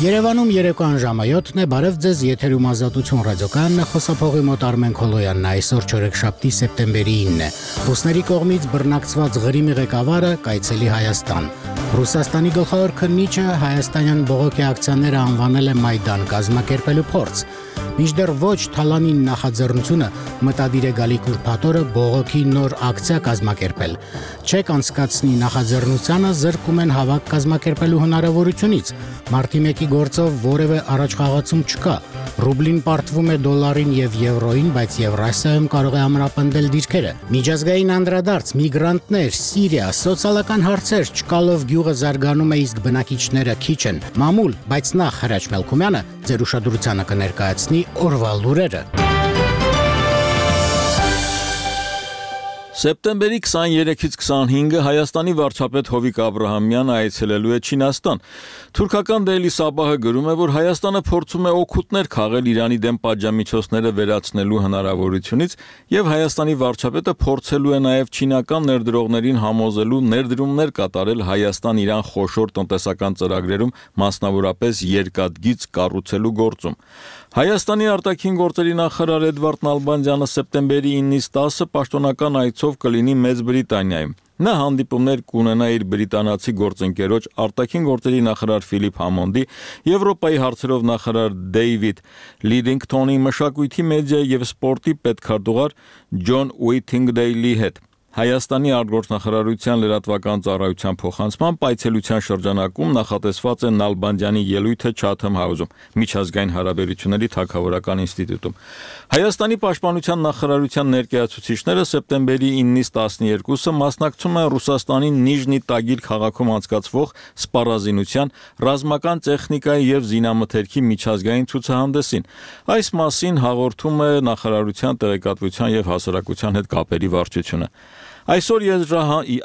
Երևանում երեկոյան ժամը 7-ն է, բարև ձեզ, եթերում Ազատություն ռադիոկայանն է, խոսափողի մոտ Արմեն Քոլոյանն է, այսօր չորեքշաբթի սեպտեմբերի 9-ն է։ Ռուսների կողմից բռնակցված Ղրիմի ղեկավարը կայցելի Հայաստան։ Ռուսաստանի գլխավոր քննիչը հայաստանյան բողոքի ակցիաները անվանել է Մայդան կազմակերպելու փորձ։ Մինչդեռ ոչ Թալանին նախաձեռնությունը մտադիր է գալիք ուրբաթ օրը բողոքի նոր ակցիա կազմակերպել։ Չեկ անցկացնի նախաձեռնությանը զրկում են հավաք կազմակերպելու հնարավորությունից։ Մարտի 1-ի գործով որևէ առաջխաղացում չկա։ Ռուբլին պարտվում է դոլարին եւ եվրոին, բայց Եվրասիայում կարող է ամրապնդել դիրքերը։ Միջազգային անդրադարձ, միգրանտներ, Սիրիա, սոցիալական հարցեր, Չկալով գյուղը զարգանում է, իսկ բնակիչները քիչ են։ Մամուլ, բայց նախ Հրաչ Մելքումյանը ձեր ուշադրությանը կներկայացնի օրվա լուրերը։ Սեպտեմբերի 23-ից 25-ը Հայաստանի վարչապետ Հովիկ Աբրահամյանը այցելելու է Չինաստան։ Թուրքական Daily Sabah-ը գրում է, որ Հայաստանը փորձում է օգուտներ քաղել Իրանի դեմ պատժամիջոցները վերացնելու հնարավորությունից եւ Հայաստանի վարչապետը փորձելու է նաեւ չինական ներդրողներին համոզելու ներդրումներ կատարել Հայաստան-Իրան խոշոր տնտեսական ծրագրերում, մասնավորապես երկաթգիծ կառուցելու գործում։ Հայաստանի արտաքին գործերի նախարար Էդվարդ Նալբանդյանը սեպտեմբերի 9-ից 10-ը պաշտոնական այցով կլինի Մեծ Բրիտանիայում։ Նա հանդիպումներ կունենա իր բրիտանացի գործընկերոջ արտաքին գործերի նախարար Ֆիլիպ Համոնդի, Եվրոպայի հարցերով նախարար Դեյվիդ Լիդինգթոնի, մշակույթի, մեդիայի եւ սպորտի պետքարտուղար Ջոն Ուիթինգդեյլի հետ։ Հայաստանի արտգործնախարարության լրատվական ծառայության փոխանցման այցելության շրջանակում նախատեսված է Նալբանդյանի ելույթը Chatham House-ում, միջազգային հարաբերությունների թագավորական ինստիտուտում։ Հայաստանի պաշտպանության նախարարության ներկայացուցիչները սեպտեմբերի 9-ից 12-ը մասնակցում են Ռուսաստանի Նիժնի Տագիլ քաղաքում անցկացվող սպառազինության, ռազմական տեխնիկայի եւ զինամթերքի միջազգային ցուցահանդեսին։ Այս մասին հաղորդում է նախարարության տեղեկատվության եւ հասարակության հետ կապերի վարչությունը։ Այսօր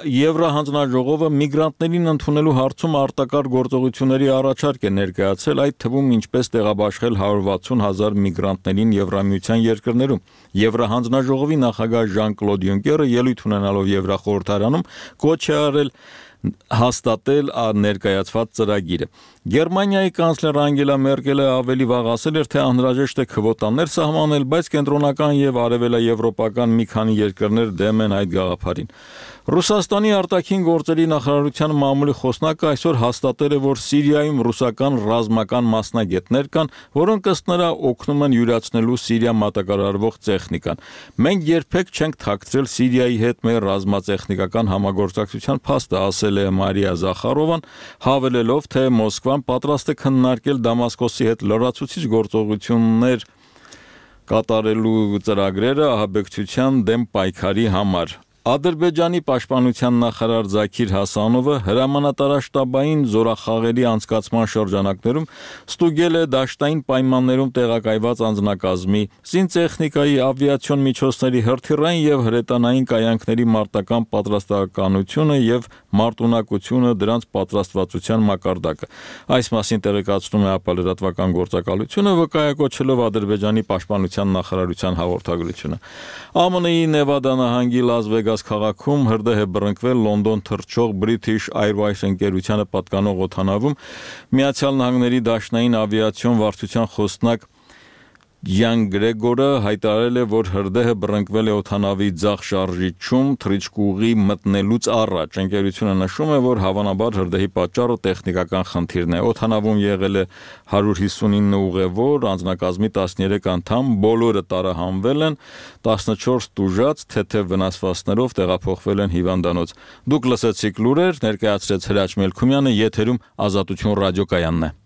Եվրահանձնաժողովը միգրանտներին ընդունելու հարցում արտակարգ գործողությունների առաջարկ է ներկայացել, այդ թվում ինչպես տեղաբաշխել 160,000 միգրանտներին Եվրամիության երկրներում։ Եվրահանձնաժողովի նախագահ Ժան-Կլոդ Յունկերը ելույթ ունենալով Եվրախորհրդարանում կոչ է արել հաստատել ներկայացված ծրագիրը։ Գերմանիայի կանցլեր Անգելա Մերկելը ավելի վաղ ասել էր, թե անհրաժեշտ է քվոտաներ սահմանել, բայց կենտրոնական եւ արևելաեվրոպական մի քանի երկրներ դեմ են այդ գաղափարին։ Ռուսաստանի արտաքին գործերի նախարարության մամուլի խոսնակը այսօր հաստատել է, որ Սիրիայում ռուսական ռազմական մասնագետներ կան, որոնք ըստ նրա օգնում են յուրացնելու Սիրիա մատակարարվող տեխնիկան։ Մենք երբեք չենք թաքցրել Սիրիայի հետ մեր ռազմատեխնիկական համագործակցության փաստը, ասել է Մարիա Զախարովան, հավելելով, թե Մոսկվան պատրաստ է քննարկել Դամասկոսի հետ լրացուցիչ գործողություններ կատարելու ծրագրերը ահաբեկչության դեմ պայքարի համար։ Ադրբեջանի պաշտպանության նախարար Զաքիր Հասանովը հրամանատարաշտաբային զորախաղերի անցկացման շրջանակներում ստուգել է դաշտային պայմաններում տեղակայված անձնակազմի, զինտեխնիկայի, ավիացիոն միջոցների, հրթիռային եւ հրետանային կայանքների մարտական պատրաստակամությունը եւ մարտունակությունը, դրանց պատրաստվածության մակարդակը։ Այս մասին տեղեկացնում է ԱՊ լրատվական գործակալությունը, վկայակոչելով Ադրբեջանի պաշտպանության նախարարության հաղորդագրությունը։ ԱՄՆ-ի Նևադա նահանգի Լաս Վեգաս քաղաքում հրդեհ է բռնկվել Լոնդոն թռչող British Airways ընկերությանը պատկանող օդանավում։ Միացյալ Նահանգների դաշնային ավիացիոն վարչության խոսնակ Յան Գրեգորը հայտարարել է, որ հրդեհը բռնկվել է օդանավի ձախ շարժիչում թռիչքուղի մտնելուց առաջ։ Ընկերությունը նշում է, որ հավանաբար հրդեհի պատճառը տեխնիկական խնդիրն է։ Օդանավում եղել է 159 ուղևոր, անձնակազմի 13 անդամ, բոլորը տարահանվել են, 14 տուժած, թեթև վնասվածքներով տեղափոխվել են հիվանդանոց։ Դուք լսեցիք լուրեր, ներկայացրեց Հրաչ Մելքումյանը, եթերում Ազատություն ռադիոկայանն է։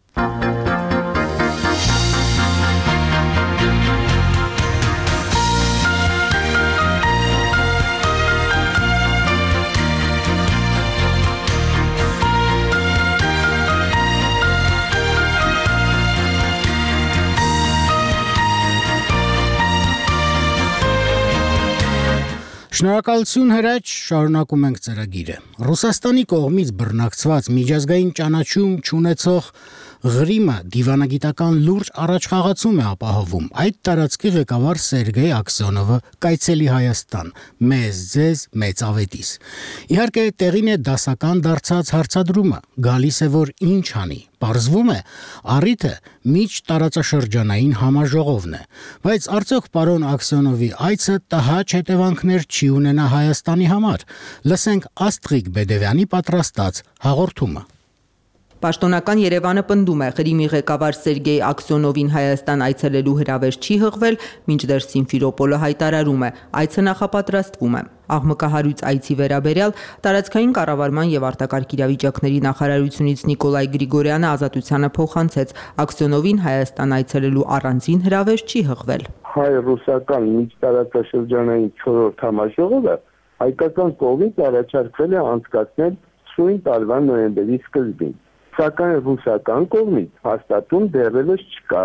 Շնորհակալություն Հրաչ, շարունակում ենք ծրագիրը։ Ռուսաստանի կողմից բռնակցված միջազգային ճանաչում չունեցող Ղրիմը դիվանագիտական լուրջ առաջխաղացում է ապահովում։ Այդ տարածքի ղեկավար Սերգեյ Աքսյոնովը կայցելի Հայաստան, մեզ ձեզ մեծ ավետիս։ Իհարկե տեղին է դասական դարձած հարցադրումը, գալիս է որ ինչ անի։ Պարզվում է, առիթը միջտարածաշրջանային համաժողովն է, բայց արդյոք պարոն Աքսյոնովի այցը տհաճ հետևանքներ չի ունենա Հայաստանի համար։ Լսենք Աստղիկ Բեդևյանի պատրաստած հաղորդումը։ Պաշտոնական Երևանը պնդում է, Ղրիմի ղեկավար Սերգեյ Աքսյոնովին Հայաստան այցելելու հրավեր չի հղվել, մինչդեռ Սիմֆերոպոլը հայտարարում է, այցը նախապատրաստվում է։ Աղմկահարույց այցի վերաբերյալ տարածքային կառավարման եւ արտակարգ իրավիճակների նախարարությունից Նիկոլայ Գրիգորյանը Ազատությանը փոխանցեց, Աքսյոնովին Հայաստան այցելելու առանձին հրավեր չի հղվել։ Հայ-ռուսական միջտարածաշրջանային 4-րդ համաժողովը հայկական կողմից առաջարկվել է անցկացնել սույն տարվա նոյեմբերի սկզբին։ Սակայն ռուսական կողմից հաստատում դեռևս չկա,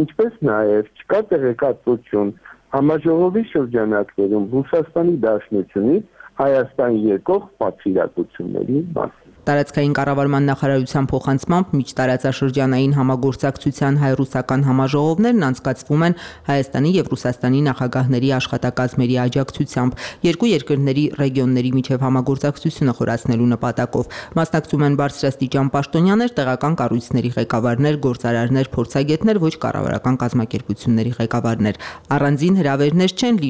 ինչպես նաև չկա տեղեկատվություն համաժողովի շրջանակներում Ռուսաստանի Դաշնությունից Հայաստան եկող պատվիրակությունների մասին։ Տարածքային կառավարման նախարարության փոխանցմամբ միջտարածաշրջանային համագործակցության հայ-ռուսական համաժողովներն անցկացվում են Հայաստանի եւ Ռուսաստանի նախագահների աշխատակազմերի աջակցությամբ, երկու երկրների ռեգիոնների միջև համագործակցությունը խորացնելու նպատակով։ Մասնակցում են բարձրաստիճան պաշտոնյաներ, տեղական կառույցների ղեկավարներ, գործարարներ, փորձագետներ, ոչ կառավարական կազմակերպությունների ղեկավարներ։ Առանձին հրավերներ չեն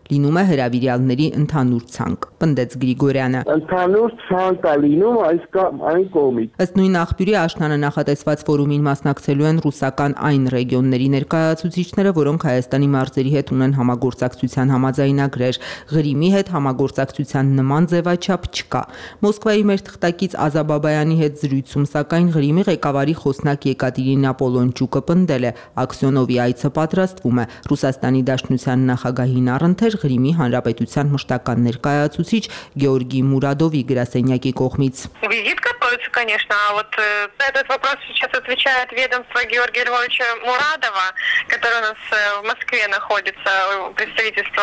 լինում է հրավիրյալների ընդհանուր ցանկ, պնդեց Գրիգորյանը։ Ընդհանուր ցանկ է լինում այն կողմից։ Ըստ նույն աղբյուրի Աշնանը նախատեսված ֆորումին մասնակցելու են ռուսական այն ռեգիոնների ներկայացուցիչները, որոնք Հայաստանի մարզերի հետ ունեն համագործակցության համաձայնագրեր։ Ղրիմի հետ համագործակցության նման ձևաչափ չկա։ Մոսկվայի մեր թղթակից Ազաբաբայանի հետ զրույցում, սակայն Ղրիմի ղեկավարի խոսնակ Եկատերինա Պոլոնչուկը պնդել է, Աքսյոնովի այցը պատրաստվում է։ Ռուսաստանի Դաշնության նախագահին առընթեր Ղրիմի Հանրապետության մշտական ներկայացուցիչ Գեորգի Մուրադովի գրասենյակի կողմից։ Визит готовится, конечно, а вот на этот вопрос сейчас отвечает ведомство Георгия Львовича Мурадова, который у нас в Москве находится, представительство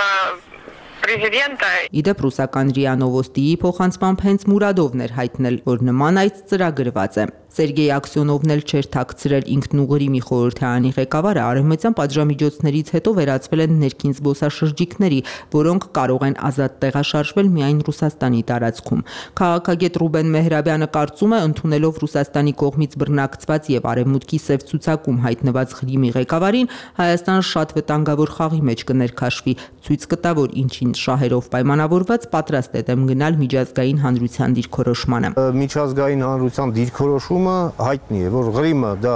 президента։ Իդեպ ռուսական ՌԻԱ Նովոստիի փոխանցմամբ հենց Մուրադովն էր հայտնել, որ նման այց ծրագրված է։ Սերգեյ Աքսյոնովն էլ չէր թաքցրել ինքն ու Ղրիմի խորհրդարանի ղեկավարը արևմտյան պատժամիջոցներից հետո վերածվել են ներքին զբոսաշրջիկների, որոնք կարող են ազատ տեղաշարժվել միայն Ռուսաստանի տարածքում։ Քաղաքագետ Ռուբեն Մեհրաբյանը կարծում է, ընդունելով Ռուսաստանի կողմից բռնակցված եւ արևմուտքի սև ցուցակում հայտնված Ղրիմի ղեկավարին, Հայաստանը շատ վտանգավոր խաղի մեջ կներքաշվի, ցույց կտա, որ ինչին շահերով պայմանավորված պատրաստ է դեմ գնալ միջազգային հանրության դիրքորոշմանը։ Միջազգային հանրության դիրքորոշումը հայտնի է, որ Ղրիմը դա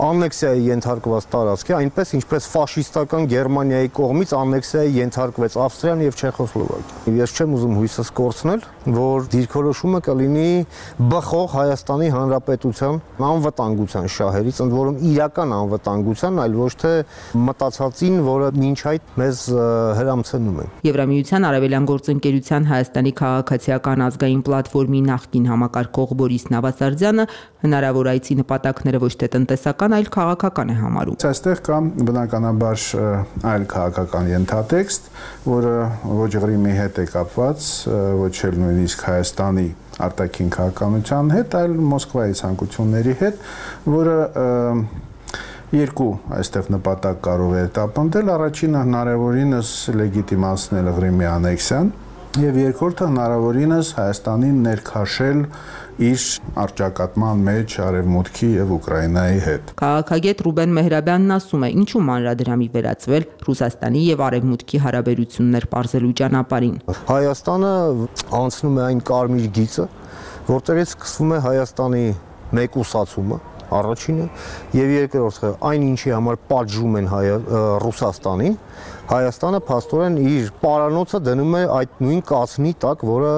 աննեքսիայի ենթարկված տարածք է, այնպես ինչպես ֆաշիստական Գերմանիայի կողմից աննեքսիայի ենթարկվեց Ավստրիան եւ Չեխոսլովակիան։ Ես չեմ ուզում հույսս կորցնել, որ դիրքորոշումը կլինի բխող Հայաստանի Հանրապետության անվտանգության շահերից, ընդ որում իրական անվտանգության, այլ ոչ թե մտածածին, որը մինչ այդ մեզ հրամցնում են։ Եվրամիության արևելյան գործընկերության Հայաստանի քաղաքացիական ազգային պլատֆորմի նախկին համակարգող Բորիս Նավասարդյանը հնարավոր այցի նպատակները ոչ թե տնտեսական, այլ քաղաքական է համարում։ Այստեղ կա բնականաբար այլ քաղաքական ենթատեքստ, որը ոչ Ղրիմի հետ է կապված, ոչ էլ նույնիսկ Հայաստանի արտաքին քաղաքականության հետ, այլ Մոսկվայի ցանկությունների հետ, որը երկու այստեղ նպատակ կարող է տապանտել, առաջինը հնարավորինս լեգիտիմացնել Ղրիմի անեքսիան եւ երկրորդը հնարավորինս Հայաստանին ներքաշել իր առճակատման մեջ Արևմուտքի եւ Ուկրաինայի հետ։ Քաղաքագետ Ռուբեն Մեհրաբյանն ասում է, ինչու մանրադրամի վերածվել Ռուսաստանի եւ Արևմուտքի հարաբերություններ պարզելու ճանապարհին։ Հայաստանը անցնում է այն կարմիր գիծը, որտեղից սկսվում է Հայաստանի մեկուսացումը, առաջինը, եւ երկրորդը, այն ինչի համար պատժում են Ռուսաստանին, Հայաստանը փաստորեն իր պարանոցը դնում է այդ նույն կացնի տակ, որը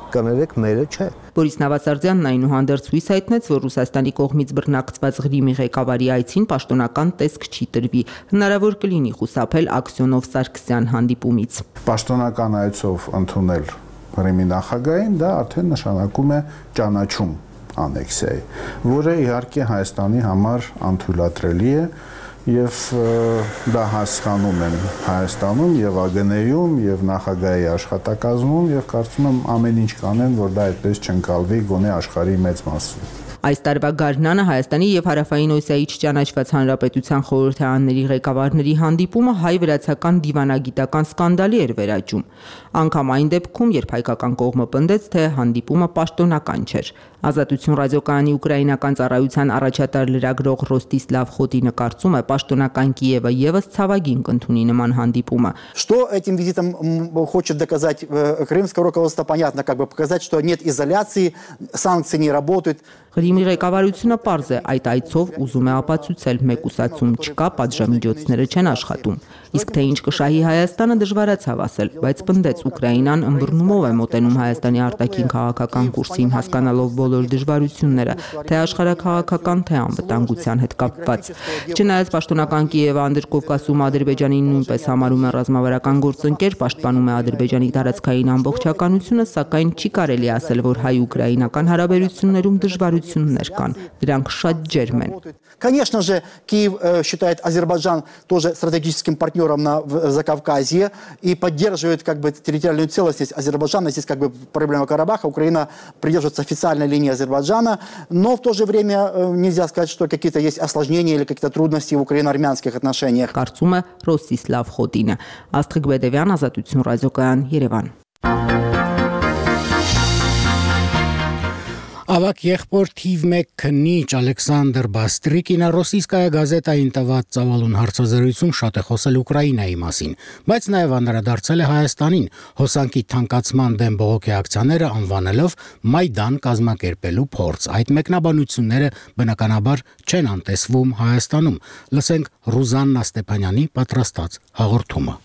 կներեք մերը չէ։ Բորիս Նավասարդյանն այնուհանդերձ հույս հայտնեց, որ Ռուսաստանի կողմից բռնակցված Ղրիմի ղեկավարի այցին պաշտոնական տեսք չի տրվի։ Հնարավոր կլինի խուսափել Աքսյոնով-Սարգսյան հանդիպումից։ Պաշտոնական այցով ընդունել Ղրիմի նախագահին դա արդեն նշանակում է ճանաչում անեքսիայի, որը իհարկե Հայաստանի համար անթույլատրելի է եւ դա հասկանում են Հայաստանում եւ ԱԳՆ-ում եւ նախագահի աշխատակազմում եւ կարծում եմ ամեն ինչ կանեն, որ դա այդպես չընկալվի գոնե աշխարհի մեծ մասում։ Այս տարվա գարնանը Հայաստանի եւ Հարավային Օսիայի չճանաչված հանրապետության խորհրդարանների ղեկավարների հանդիպումը հայ-վրացական դիվանագիտական սկանդալի էր վերաճում։ Անգամ այն դեպքում, երբ հայկական կողմը պնդեց, թե հանդիպումը պաշտոնական չէր։ Ազատություն ռադիոկայանի ուկրաինական ծառայության առաջատար լրագրող Ռոստիսլավ Խոտինը կարծում է, պաշտոնական Կիևը եւս ցավագին կընդունի նման հանդիպումը։ Что этим визитом хочет доказать крымское руководство, понятно, показать, что нет изоляции, санкции не работают. Ղրիմի ղեկավարությունը պարզ է, այդ այցով ուզում է ապացուցել, մեկուսացում չկա, պատժամիջոցները չեն աշխատում։ Իսկ թե ինչ կշահի Հայաստանը դժվարացավ ասել, բայց պնդեց Ուկրաինան ըմբռնումով է մոտենում Հայաստանի արտաքին քաղաքական կուրսին, հասկանալով բոլոր դժվարությունները, թե աշխարհաքաղաքական, թե անվտանգության հետ կապված։ Չնայած պաշտոնական Կիևը Անդրկովկասում Ադրբեջանին նույնպես համարում է ռազմավարական գործընկեր, պաշտպանում է Ադրբեջանի տարածքային ամբողջականությունը, սակայն չի կարելի ասել, որ հայ-ուկրաինական հարաբերություններում դժվարություններ կան, դրանք շատ ջերմ են։ Конечно же, Киев считает Азербайджан тоже стратегическим партнером на Закавказье и поддерживает территориальную целостность Азербайджана. Здесь проблема Карабаха. Украина придерживается официальной линии Азербайджана, но в то же время нельзя сказать, что какие-то есть осложнения или какие-то трудности в украино-армянских отношениях. Կարծում է Ռոստիսլավ Խոտինը, Աստղիկ Բեդևյան, Ազատություն ռադիոկայան, Երևան։ Ավակ եղբոր թիվ 1 քննիչ Ալեքսանդր Բաստրիկինը Ռոսիյսկայա գազետային տված ծավալուն հարցազրույցում շատ է խոսել Ուկրաինայի մասին, բայց նաև անդրադարձել է Հայաստանին, հոսանքի թանկացման դեմ բողոքի ակցիաները անվանելով Մայդան կազմակերպելու փորձ։ Այդ մեկնաբանությունները բնականաբար չեն անտեսվում Հայաստանում։ Լսենք Ռուզաննա Ստեփանյանի պատրաստած հաղորդումը։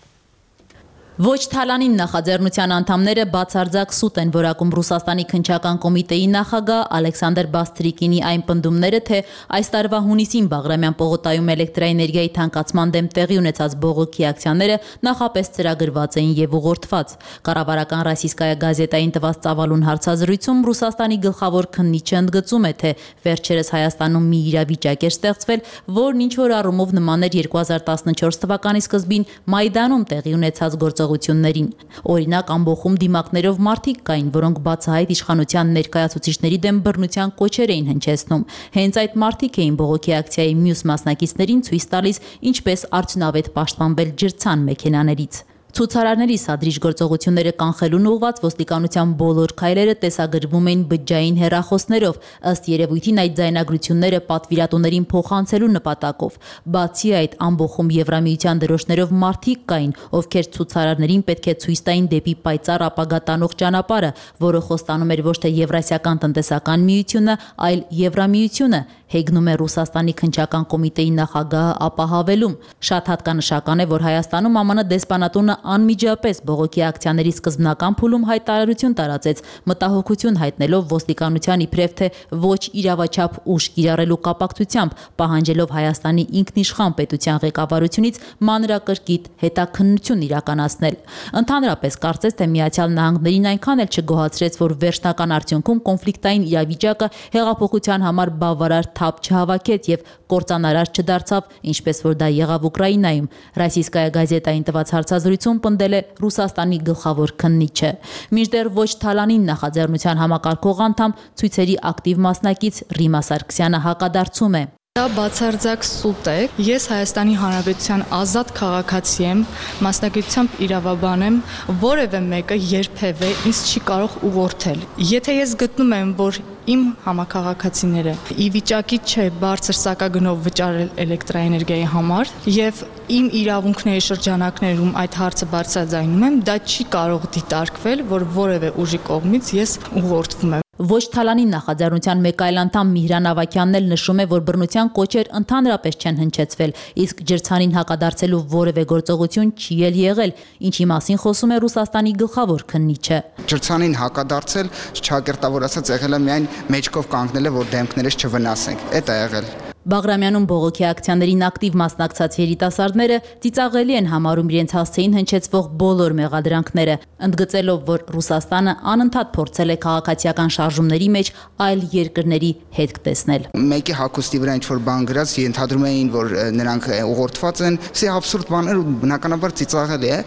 Ոչ Թալանին նախաձեռնության անդամները բացարձակ սուտ են որակում Ռուսաստանի քննչական կոմիտեի նախագահ Ալեքսանդր Բաստրիկինի այն պնդումները, թե այս տարվա հունիսին Բաղրամյան պողոտայում էլեկտրաէներգիայի թանկացման դեմ տեղի ունեցած բողոքի ակցիաները նախապես ծրագրված էին եւ ուղղորդված։ Կառավարական Ռոսիյսկայա գազետային տված ծավալուն հարցազրույցում Ռուսաստանի գլխավոր քննիչը ընդգծում է, թե վերջերս Հայաստանում մի իրավիճակ էր ստեղծվել, որն ինչ որ առումով նման էր 2014 թվականի սկզբին Մայդանում տեղի ունեցած գործողություններին։ Օրինակ, ամբոխում դիմակներով մարդիկ կային, որոնք բացահայտ իշխանության ներկայացուցիչների դեմ բռնության կոչեր էին հնչեցնում։ Հենց այդ մարդիկ էին բողոքի ակցիայի մյուս մասնակիցներին ցույց տալիս, ինչպես արդյունավետ պաշտպանվել ջրցան մեքենաներից։ Ցուցարարների սադրիչ գործողությունները կանխելուն ուղղված ոստիկանության բոլոր քայլերը տեսագրվում էին բջջային հեռախոսներով, ըստ երևույթին այդ ձայնագրությունները պատվիրատուներին փոխանցելու նպատակով։ Բացի այդ, ամբոխում Եվրամիության դրոշներով մարդիկ կային, ովքեր ցուցարարներին պետք է ցույց տային դեպի պայծառ ապագա տանող ճանապարհը, որը խոստանում էր ոչ թե Եվրասիական տնտեսական միությունը, այլ Եվրամիությունը, հեգնում է Ռուսաստանի քննչական կոմիտեի նախագահը ապահավելում։ Շատ հատկանշական է, որ Հայաստանում ԱՄՆ դեսպանատունը անմիջապես բողոքի ակցիաների սկզբնական փուլում հայտարարություն տարածեց, մտահոգություն հայտնելով ոստիկանության իբրև թե ոչ իրավաչափ ուժ կիրառելու կապակցությամբ, պահանջելով Հայաստանի ինքնիշխան պետության ղեկավարությունից մանրակրկիտ հետաքննություն իրականացնել։ Ընդհանրապես կարծես թե Միացյալ Նահանգներին այնքան էլ չգոհացրեց, որ վերջնական արդյունքում կոնֆլիկտային իրավիճակը հեղափոխության համար բավարար թափ չհավաքեց եւ կործանարար չդարձավ, ինչպես որ դա եղավ Ուկրաինայում։ Ռոսիյսկայա գազետային տված հարցազրույցում պնդել է Ռուսաստանի գլխավոր քննիչը։ Մինչդեռ ոչ Թալանին նախաձեռնության համակարգող անդամ ցույցերի ակտիվ մասնակից Ռիմա Սարգսյանը հակադարձում է։ Դա բացարձակ սուտ է։ Ես Հայաստանի Հանրապետության ազատ քաղաքացի եմ, մասնակցությամբ իրավաբան եմ, որևէ մեկը երբևէ ինձ չի կարող ուղղորդել։ Եթե ես գտնում եմ, որ իմ համակարգացիները ի վիճակի չէ բարձր սակագնով վճարել էլեկտրաէներգիայի համար եւ իմ իրավունքների շրջանակներում այդ հարցը բարձրաձայնում եմ, դա չի կարող դիտարկվել, որ որևէ ուժի կողմից ես ուղղորդվում եմ։ Ոչ Թալանի նախաձեռնության մեկ այլ անդամ Միհրան Ավակյանն էլ նշում է, որ բռնության կոչեր ընդհանրապես չեն հնչեցվել, իսկ ջրցանին հակադարձելու որևէ գործողություն չի էլ եղել, ինչի մասին խոսում է Ռուսաստանի գլխավոր քննիչը։ Ջրցանին հակադարձել, չակերտավոր ասած եղել է միայն մեջքով կանգնել, որ դեմքներս չվնասենք։ Էդ է եղել։ Բաղրամյանում բողոքի ակցիաներին ակտիվ մասնակցած երիտասարդները ծիծաղելի են համարում իրենց հասցեին հնչեցվող բոլոր մեղադրանքները, ընդգծելով, որ Ռուսաստանը անընդհատ փորձել է քաղաքացիական շարժումների մեջ այլ երկրների հետք տեսնել։ Մեկի հագուստի վրա ինչ-որ բան գրած, ենթադրում էին, որ նրանք ուղղորդված են, սա աբսուրդ բաներ ու բնականաբար ծիծաղելի է։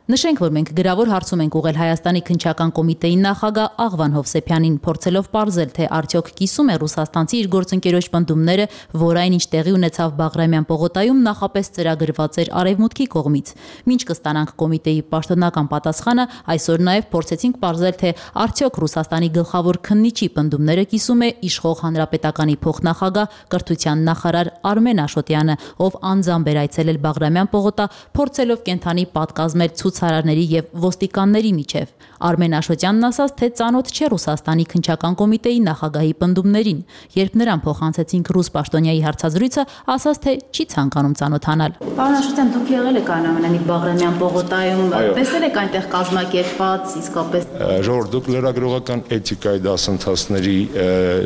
Նշենք, որ մենք գրավոր հարցում ենք ուղղել Հայաստանի քննչական կոմիտեի նախագահ Աղվան Հովսեփյանին, փորձելով պարզել, թե արդյոք կիսում է ռուսաստանցի իր գործընկերոջ պնդումները, որ այնինչ տեղի ունեցավ Բաղրամյան պողոտայում նախապես ծրագրված էր Արևմուտքի կողմից։ Մինչ կստանանք կոմիտեի պաշտոնական պատասխանը, այսօր նաև փորձեցինք պարզել, թե արդյոք Ռուսաստանի գլխավոր քննիչի պնդումները կիսում է իշխող հանրապետականի փոխնախագահ կրթության նախարար Արմեն Աշոտյանը, ով անձամբ էր այցելել Բաղրամյան պողոտա, փորձելով կենթանի պատկազմել ցուցարարների եւ ոստիկանների միջև։ Արմեն Աշոտյանն ասաց, թե ծանոթ չէ Ռուսաստանի քննչական կոմիտեի նախագահի պնդումներին։ Երբ նրան փոխանցեցինք ռուս պաշտոնյայի հարցազրույցը, ասաց, թե չի ցանկանում ծանոթանալ։ Պարոն Աշոտյան, դուք եղել եք այնուամենայնիվ Բաղրամյան պողոտայում, տեսել եք այնտեղ կազմակերպված իսկապես ժողովուրդ, դուք լրագրողական էթիկայի դասընթացների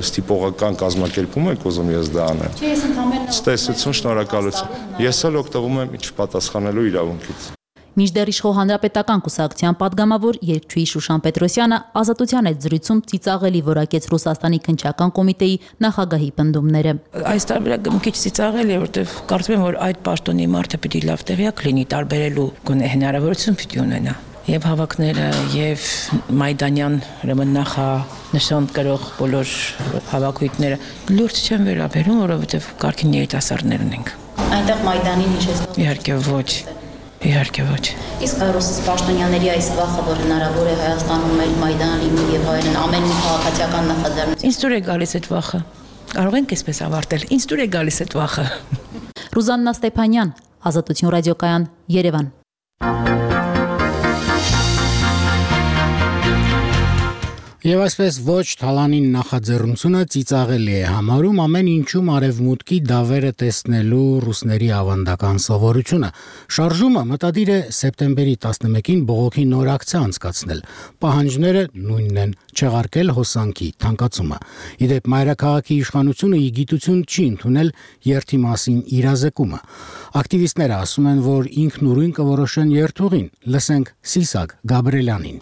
ստիպողական կազմակերպում եք ուզում ես դա անեմ։ Չէ, ես ընդհանրապես Ստեսություն, շնորհակալություն։ Ես էլ օգտվում եմ չպատասխանելու իրավունքից։ Մինչդեռ իշխող հանրապետական կուսակցության падգամավոր երկչուհի Շուշան Պետրոսյանը ազատության այդ զրույցում ծիծաղելի որակեց Ռուսաստանի քննչական կոմիտեի նախագահի պնդումները։ Այս տարբերակը մի քիչ ծիծաղելի է, որովհետև կարծում եմ, որ այդ պաշտոնի մարդը պիտի լավ տեղյակ լինի, տարբերելու գոնե հնարավորություն պիտի ունենա։ Եվ հավաքները, եւ Մայդանյան ուրեմն նախանշան կրող բոլոր հավաքույթները լուրջ չեն վերաբերում, որովհետև կարգին երիտասարդներ ունենք։ Այնտեղ Մայդանին հիշեցնող։ Իհարկե ոչ։ Իհարկե ոչ։ Իսկ ռուս պաշտոնյաների այս վախը, որ հնարավոր է Հայաստանում էլ Մայդան լինի եւ այլն, ամեն մի քաղաքացիական նախաձեռնություն։ Ինձ դուր է գալիս այդ վախը։ Կարող ենք այսպես ավարտել։ Ինձ դուր է գալիս այդ վախը։ Ռուզաննա Ստեփանյան, Ազատություն ռադիոկայան, Երևան։ Եվ այսպես ոչ Թալանին նախաձեռնությունը ծիծաղելի է համարում ամեն ինչում արևմուտքի դավերը տեսնելու ռուսների ավանդական սովորությունը։ Շարժումը մտադիր է սեպտեմբերի 11-ին բողոքի նոր ակցիա անցկացնել։ Պահանջները նույնն են՝ չեղարկել հոսանքի թանկացումը։ Իդեպ մայրաքաղաքի իշխանությունը ի գիտություն չի ընդունել երթի մասին իրազեկումը։ Ակտիվիստները ասում են, որ ինքնուրույն կորոշեն երթուղին։ Լսենք Սիսակ Գաբրելյանին։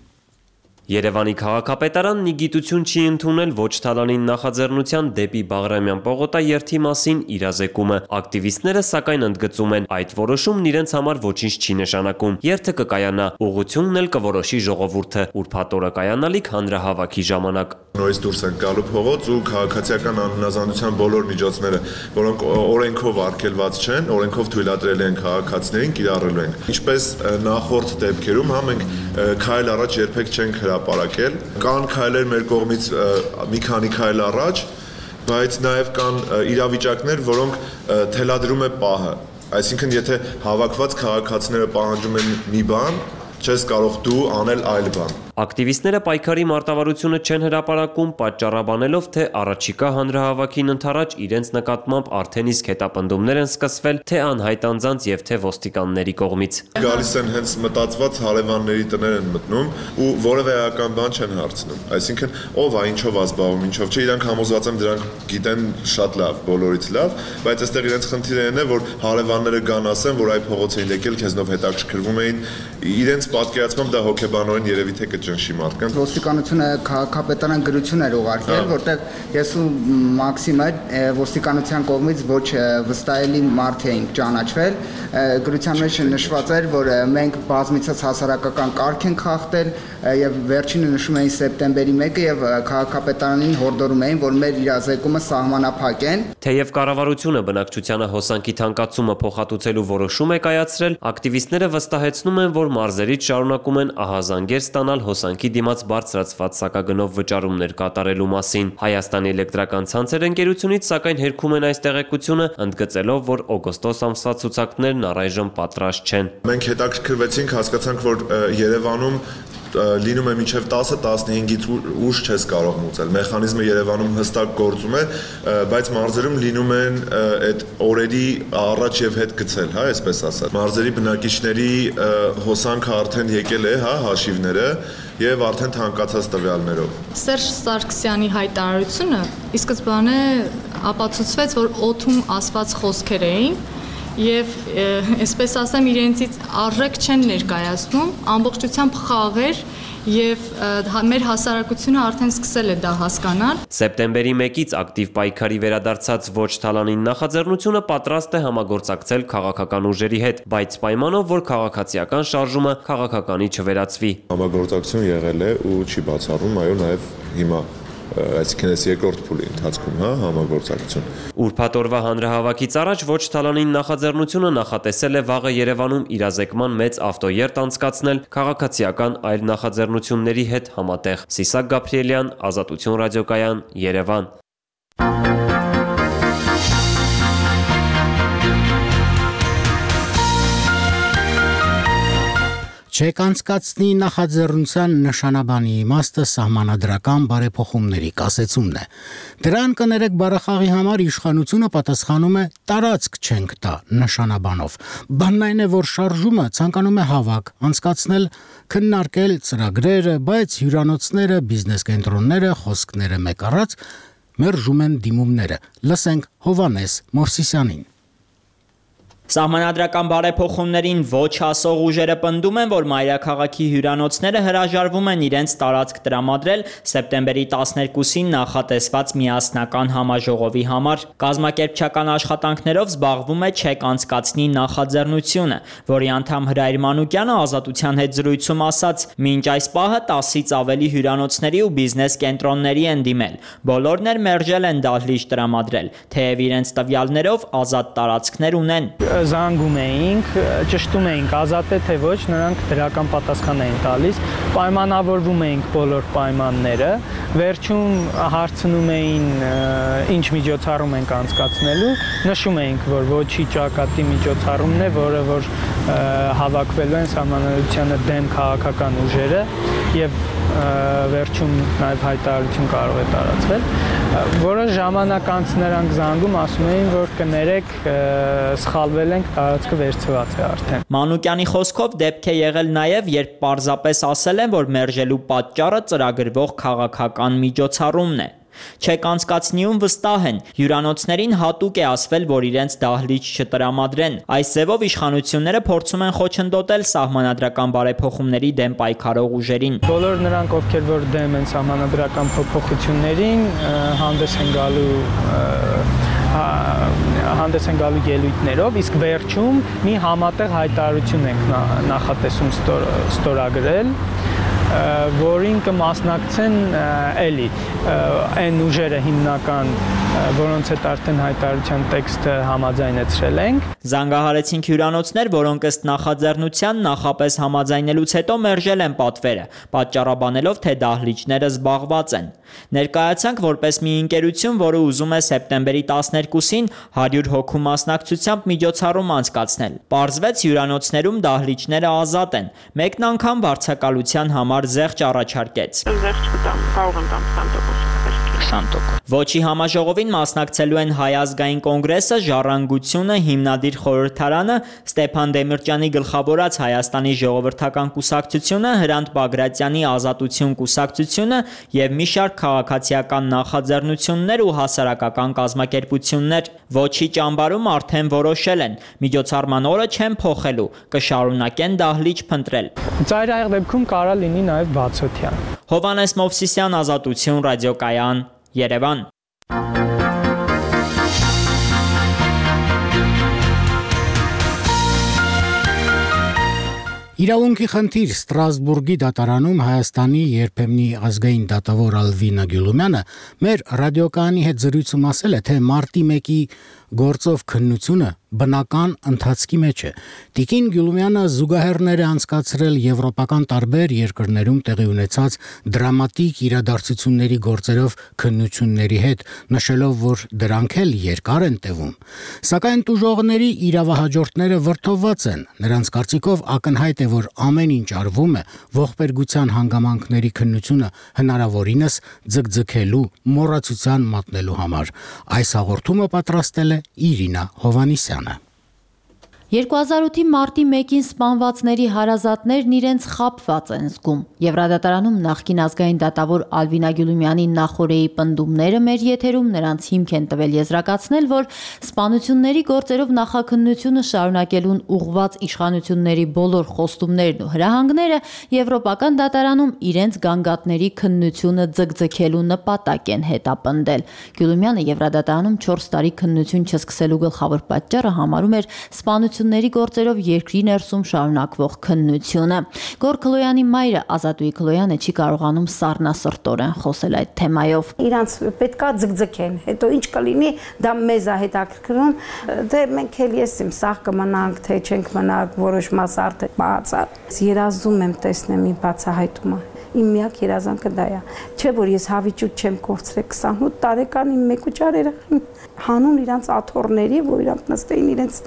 Երևանի քաղաքապետարանն ի գիտություն չի ընդունել ոչ Թալանին նախաձեռնության դեպի Բաղրամյան պողոտա երթի մասին իրազեկումը։ Ակտիվիստները սակայն ընդգծում են, այդ որոշումն իրենց համար ոչինչ չի նշանակում։ Երթը կկայանա, ուղղությունն էլ կորոշի ժողովուրդը, ուրբաթ օրը կայանալիք հանրահավաքի ժամանակ։ Նորից դուրս են գալու փողոց ու քաղաքացիական անհնազանդության բոլոր միջոցները, որոնք օրենքով արգելված չեն, օրենքով թույլատրել են քաղաքացիներին, կիրառելու են։ Ինչպես նախորդ դեպքերում, մենք քայլ առաջ երբեք չենք հրապարակել, կան քայլեր մեր կողմից մի քանի քայլ առաջ, բայց նաև կան իրավիճակներ, որոնք թելադրում է պահը։ Այսինքն, եթե հավաքված քաղաքացիները պահանջում են մի բան, չես կարող դու անել այլ բան։ Ակտիվիստները պայքարի մարտավարությունը չեն հրապարակում, պատճառաբանելով, թե առաջիկա հանրահավաքին ընդառաջ իրենց նկատմամբ արդեն իսկ հետապնդումներ են սկսվել թե անհայտ անձանց եւ թե ոստիկանների կողմից։ Գալիս են հենց մտածված հարևանների տներ են մտնում ու որևէ էական բան չեն հարցնում։ Այսինքն, ով է, ինչով է զբաղվում, ինչով չէ, իրանք համոզված եմ դրանք գիտեն շատ լավ, բոլորից լավ, բայց այստեղ իրենց խնդիրն է, որ հարևանները գան ասեն, որ այ փողոց էին եկել, քեզնով հետաքրքրվում էին, իրենց պատկերացմամբ դա հոգեբանորեն երևի թե կճնշի մարդկանց։ Ոստիկանությունը քաղաքապետարան գրություն էր ուղարկել, որտեղ ես ու Մաքսիմը ոստիկանության կողմից ոչ վստահելի մարդ էինք ճանաչվել։ Գրության մեջ նշված էր, որ մենք բազմիցս հասարակական կարգ ենք խախտել եւ վերջինը նշում էին սեպտեմբերի 1-ը եւ քաղաքապետարանին հորդորում էին, որ մեր իրազեկումը սահմանափակեն։ Թեև կառավարությունը բնակչությանը հոսանքի թանկացումը փոխհատուցելու որոշում է կայացրել, ակտիվիստները վստահեցնում են, որ մարզերից շարունակում են ահազանգեր ստանալ հոսանքի դիմաց բարձրացված սակագնով վճարումներ կատարելու մասին։ Հայաստանի էլեկտրական ցանցեր ընկերությունից սակայն հերքում են այս տեղեկությունը, ընդգծելով, որ օգոստոս ամսվա ցուցակներն առայժմ պատրաստ չեն։ Մենք հետաքրքրվեցինք, հասկացանք, որ Երևանում լինում է մինչև 10-15-ից ուշ չես կարող մուծել։ Մեխանիզմը Երևանում հստակ գործում է, բայց մարզերում լինում են այդ օրերի առաջ եւ հետ գցել, հա, այսպես ասած։ Մարզերի բնակիչների հոսանքը արդեն եկել է, հա, հաշիվները եւ արդեն թանկացած տվյալներով։ Սերժ Սարգսյանի հայտարարությունը ի սկզբանե ապացուցվեց, որ օդում ասված խոսքեր էին եւ այսպես ասեմ իրենցից արժեք չեն ներկայացնում, ամբողջությամբ խաղեր եւ մեր հասարակությունը արդեն սկսել է դա հասկանալ։ Սեպտեմբերի 1-ից ակտիվ պայքարի վերադարձած ոչ թալանին նախաձեռնությունը պատրաստ է համագործակցել քաղաքական ուժերի հետ, բայց պայմանով, որ քաղաքացիական շարժումը քաղաքականի չվերածվի։ Համագործակցություն եղել է ու չի բացառվում, այո, նաեւ հիմա այսինքն այս երկրորդ փուլի ընթացքում, համագործակցություն։ Ուրբաթ օրվա հանրահավաքից առաջ ոչ թալանին նախաձեռնությունը նախատեսել է վաղը Երևանում իրազեկման մեծ ավտոերթ անցկացնել քաղաքացիական այլ նախաձեռնությունների հետ համատեղ։ Սիսակ Գաբրիելյան, Ազատություն ռադիոկայան, Երևան։ Չեկանցկացնի նախաձեռնության նշանաբանի իմաստը սահմանադրական բարեփոխումների կասեցումն է։ Դրան կներեք բառախաղի համար իշխանությունը պատասխանում է տարածք չենք տա նշանաբանով։ Բանն այն է, որ շարժումը ցանկանում է հավաք անցկացնել, քննարկել ծրագրերը, բայց հյուրանոցները, բիզնես կենտրոնները, խոսքները մեկ առած մերժում են դիմումները։ Լսենք Հովանես Մովսիսյանին։ Սահմանադրական բարեփոխումներին ոչ ասող ուժերը պնդում են, որ մայրաքաղաքի հյուրանոցները հրաժարվում են իրենց տարածք տրամադրել սեպտեմբերի 12-ին նախատեսված միասնական համաժողովի համար։ Կազմակերպչական աշխատանքներով զբաղվում է Չեք անցկացնի նախաձեռնությունը, որի անդամ Հրայր Մանուկյանը Ազատության հետ զրույցում ասաց. «Մինչ այս պահը 10-ից ավելի հյուրանոցների ու բիզնես կենտրոնների են դիմել։ Բոլորն էլ մերժել են դահլիճ տրամադրել, թեև իրենց տվյալներով ազատ տարածքներ ունեն»։ Զանգում էինք, ճշտում էինք ազատ է թե ոչ, նրանք դրական պատասխան էին տալիս, պայմանավորվում էինք բոլոր պայմանները, վերջում հարցնում էին ինչ միջոցառում ենք անցկացնելու, նշում էինք, որ ոչի ճակատի միջոցառումն է, որը որ հավաքվելու են սահմանադրությանը դեմ քաղաքական ուժերը եւ վերջում նաև հայտարարություն կարող է տարածվել, որը ժամանակ անց նրանք զանգում ասում էին, որ կներեք սխալվել ենք, տարածքը վերցված է արդեն։ Մանուկյանի խոսքով դեպք է եղել նաև, երբ պարզապես ասել են, որ մերժելու պատճառը ծրագրվող քաղաքական միջոցառումն է։ Չեք անցկացնիում վստահ են, հյուրանոցներին հատուկ է ասվել, որ իրենց դահլիճ չտրամադրեն։ Այս ձևով իշխանությունները փորձում են խոչընդոտել սահմանադրական բարեփոխումների դեմ պայքարող ուժերին։ Բոլոր նրանք, ովքեր որ դեմ են սահմանադրական փոփոխություններին, հանդես են գալու ելույթներով, իսկ վերջում մի համատեղ հայտարարություն ենք նախատեսում ստորագրել, որին կմասնակցեն էլի այն ուժերը հիմնական, որոնց հետ արդեն հայտարարության տեքստը համաձայնեցրել ենք։ Զանգահարեցինք հյուրանոցներ, որոնք ըստ նախաձեռնության նախապես համաձայնելուց հետո մերժել են պատվերը, պատճառաբանելով, թե դահլիճները զբաղված են։ Ներկայացանք որպես մի ընկերություն, որը ուզում է սեպտեմբերի 12-ին 100 հոգու մասնակցությամբ միջոցառում անցկացնել։ Պարզվեց հյուրանոցներում դահլիճները ազատ են։ Մեկն անգամ վարձակալության համար զեղչ առաջարկեց։ Զեղչ կտամ, կարող եմ տամ 20%։ Ոչի համաժողովին մասնակցելու են Հայ ազգային կոնգրեսը, Ժառանգությունը, Հիմնադիր խորհրդարանը, Ստեփան Դեմիրճյանի գլխավորած Հայաստանի ժողովրդական կուսակցությունը, Հրանտ Բագրատյանի Ազատություն կուսակցությունը եւ մի շարք քաղաքացիական նախաձեռնություններ ու հասարակական կազմակերպություններ։ Ոչի ճամբարում արդեն որոշել են, միջոցառման օրը չեն փոխելու, կշարունակեն դահլիճ փնտրել։ Ծայրահեղ դեպքում կարա լինի նաեւ բացօթյա։ Հովանես Մովսիսյան, Ազատություն ռադիոկայան, Երևան։ Իրավունքի խնդիր Ստրասբուրգի դատարանում Հայաստանի երբեմնի ազգային դատավոր Ալվինա Գյուլումյանը մեր ռադիոկայանի հետ զրույցում ասել է, թե մարտի 1-ի գործով քննությունը բնական ընթացքի մեջ է։ Տիկին Գյուլումյանը զուգահեռներ է անցկացրել եվրոպական տարբեր երկրներում տեղի ունեցած դրամատիկ իրադարձությունների գործերով քննությունների հետ, նշելով, որ դրանք էլ երկար են տևում։ Սակայն տուժողների իրավահաջորդները վրդովված են։ Նրանց կարծիքով ակնհայտ է, որ ամեն ինչ արվում է ողբերգության հանգամանքների քննությունը հնարավորինս ձգձգելու, մոռացության մատնելու համար։ Այս հաղորդումը պատրաստել է Իրինա Հովանիսյանը։ 2008-ի մարտի 1-ին սպանվածների հարազատներն իրենց խաբված են զգում։ Եվրադատարանում նախկին ազգային դատավոր Ալվինա Գյուլումյանի նախօրեի պնդումները մեր եթերում նրանց հիմք են տվել եզրակացնել, որ սպանությունների գործերով նախաքննությունը շարունակելուն ուղղված իշխանությունների բոլոր խոստումներն ու հրահանգները Եվրոպական դատարանում իրենց գանգատների քննությունը ձգձգելու նպատակ են հետապնդել։ Գյուլումյանը Եվրադատարանում 4 տարի քննություն չսկսելու գլխավոր պատճառը համարում էր սպանությունների գործերով երկրի ներսում շարունակվող քննությունը։ Գոր Քլոյանի մայրը Ազատուհի Քլոյանը չի կարողանում սառնասրտորեն խոսել այդ թեմայով։ Իրանց պետքա ձգձգեն, հետո ինչ կլինի, դա մեզ է հետաքրքրում, դե մենք էլ եսիմ սաղ կմնանք, թե չենք մնանք, որոշ մաս արդեն մահացավ։ Երազում եմ տեսնեմ մի բացահայտումը։ Իմ միակ երազանքը դա է։ Չէ որ ես հավիճուտ չեմ կորցրել 28 տարեկան իմ մեկուճար երեխային հանուն իրանց աթոռների, որ իրանք նստեին իրենց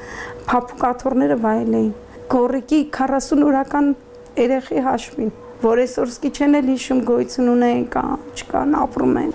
փափուկ աթոռները վայելեին։ Գորիկի 40 օրական երեխի հաշվին, որ այսօր սկի չեն էլ հիշում գոյություն ունեն կամ չկան, ապրում են։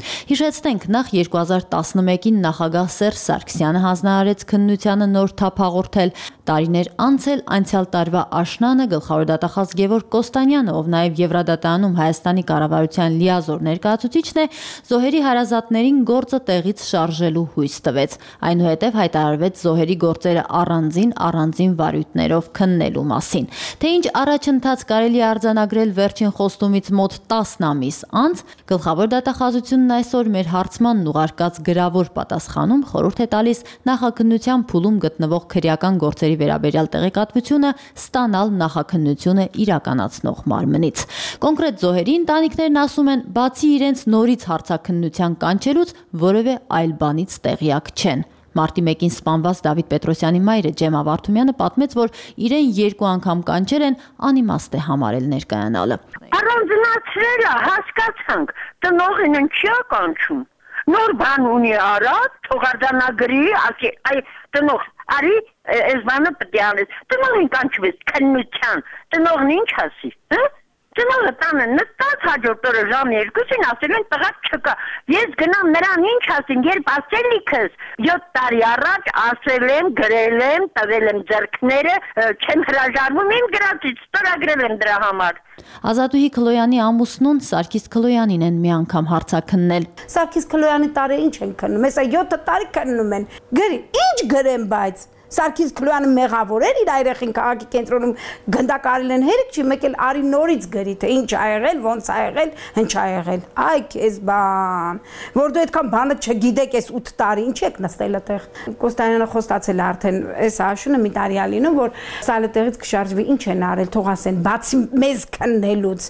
Հիշեցնենք, նախ 2011-ին նախագահ Սերժ Սարգսյանը հանձնարարեց քննությանը նոր թափ հաղորդել։ Տարիներ անց էլ անցյալ տարվա աշնանը գլխավոր դատախազ Գևորգ Կոստանյանը, ով նաև Եվրադատարանում Հայաստանի կառավարության լիազոր ներկայացուցիչն է, զոհերի հարազատներին գործը տեղից շարժելու հույս տվեց։ Այնուհետև հայտարարվեց զոհերի գործերը առանձին վարույթներով քննելու մասին։ Թե ինչ առաջընթաց կարելի է արձանագրել վերջին խոստումից մոտ 10 ամիս անց, գլխավոր դատախազությունն այսօր մեր հարցմանն ուղարկած գրավոր պատասխանում խորհուրդ է տալիս նախաքննության փուլում գտնվող քրեական գործերի վերաբերյալ տեղեկատվությունը ստանալ նախաքննությունը իրականացնող մարմնից։ Կոնկրետ զոհերի ընտանիքներն ասում են, բացի իրենց նորից հարցաքննության կանչելուց, որևէ այլ բանից տեղյակ չեն։ Մարտի 1-ին սպանված Դավիթ Պետրոսյանի մայրը Ջեմա Վարդումյանը պատմեց, որ իրեն 2 անգամ կանչել են, անիմաստ է համարել ներկայանալը։ Առանձնացրել է, հասկացանք, տնողին ինչի է կանչում։ Նոր բան ունի արած, թողարդանագրի, ասի, այ տնող, արի, այս բանը պետք է անես։ Տնողին կանչվեց քննության, տնողն ինչ ասի, հա? Տնողը տանը նստած հաջորդ օրը ժամ 2-ին ասել են տղա չկա։ Ես գնամ նրան ինչ ասին, երբ ասելիքս 7 տարի առաջ ասել եմ, գրել եմ, տվել եմ ձեռքները, չեմ հրաժարվում իմ գրածից, ստորագրել եմ դրա համար։ Ազատուհի Քլոյանի ամուսնուն Սարգիս Քլոյանին են մի անգամ հարցաքննել։ Սարգիս Քլոյանի տարի ինչ են քննում, հեսա 7 տարի քննում են։ Գրի, ինչ գրեմ բայց Սարգիս Քլոյանը մեղավոր էր իր երեխին քաղաքի կենտրոնում գնդակարել են հերիք չի մեկ էլ արի նորից գրի թե ինչ ա եղել, ոնց ա եղել, ինչ ա եղել։ Այ քեզ բան, որ դու այդքան բանը չգիտեք այս 8 տարի ինչ եք նստել այդտեղ։ Կոստանյանը խոստացել է արդեն այս աշունը մի տարի ա լինում, որ սալը տեղից կշարժվի, ինչ են արել, թող ասեն, բացի մեզ քննելուց։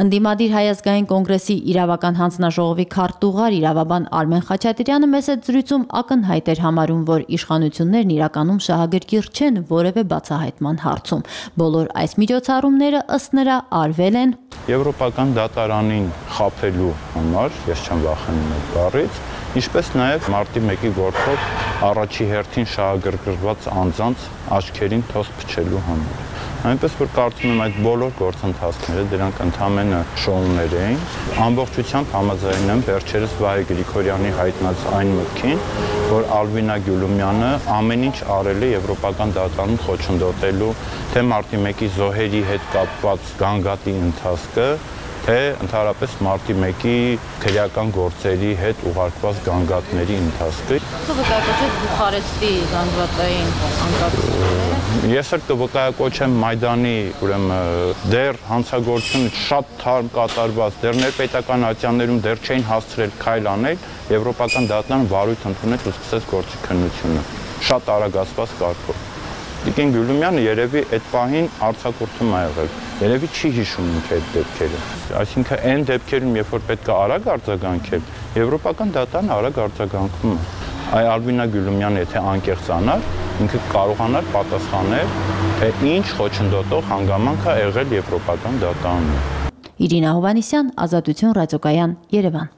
Ընդդիմադիր Հայ ազգային կոնգրեսի իրավական հանձնաժողովի քարտուղար իրավաբան Արմեն Խաչատրյանը մեծ զրույցում ակնհայտ էր համարում, որ իշխանություններն իրականում շահագրգիռ չեն որևէ բացահայտման հարցում։ Բոլոր այս միջոցառումները ըստ նրա արվել են Եվրոպական դատարանին խաբելու համար, ես չեմ վախենում այդ բառից, ինչպես նաև մարտի 1-ի գործով առաջի հերթին շահագրգռված անձանց աչքերին թոս փչելու համար։ Այնպես որ կարծում եմ այդ բոլոր գործընթացները դրանք ընդհանրապես շոուներ էին։ Ամբողջությամբ համաձայն եմ վերջերս Վահե Գրիգորյանի հայտնած այն մտքին, որ Ալվինա Գյուլումյանը ամեն ինչ արել է Եվրոպական դատարանում խոչընդոտելու թե մարտի 1-ի զոհերի հետ կապված գանգատի ընթացքը, թե ընդհանրապես մարտի 1-ի քրեական գործերի հետ ուղարկված գանգատների ընթացքը։ Կվկայակոչեք Բուխարեստի զանգվածային անկարգությունները։ Ես էլ կվկայակոչեմ Մայդանի, ուրեմն դեռ հանցագործությունը շատ թարմ կատարված, դեռ ներպետական ատյաններում դեռ չէին հասցրել քայլ անել, Եվրոպական դատարանը վարույթ ընդունեց ու սկսեց գործի քննությունը։ Շատ արագացված կարգով։ Տիկին Գյուլումյանը երևի այդ պահին արձակուրդում է եղել։ Երևի չի հիշում ինքը այդ դեպքերը։ Այսինքն այն դեպքերում, երբ որ պետք է արագ արձագանքել, Եվրոպական դատարանը արագ արձագանքում է։ Այ Ալվինա Գյուլումյանը եթե անկեղծանար, ինքը կարողանար պատասխանել, թե ինչ խոչընդոտող հանգամանք է եղել Եվրոպական դատարանում։ Իրինա Հովհաննիսյան, Ազատություն ռադիոկայան, Երևան։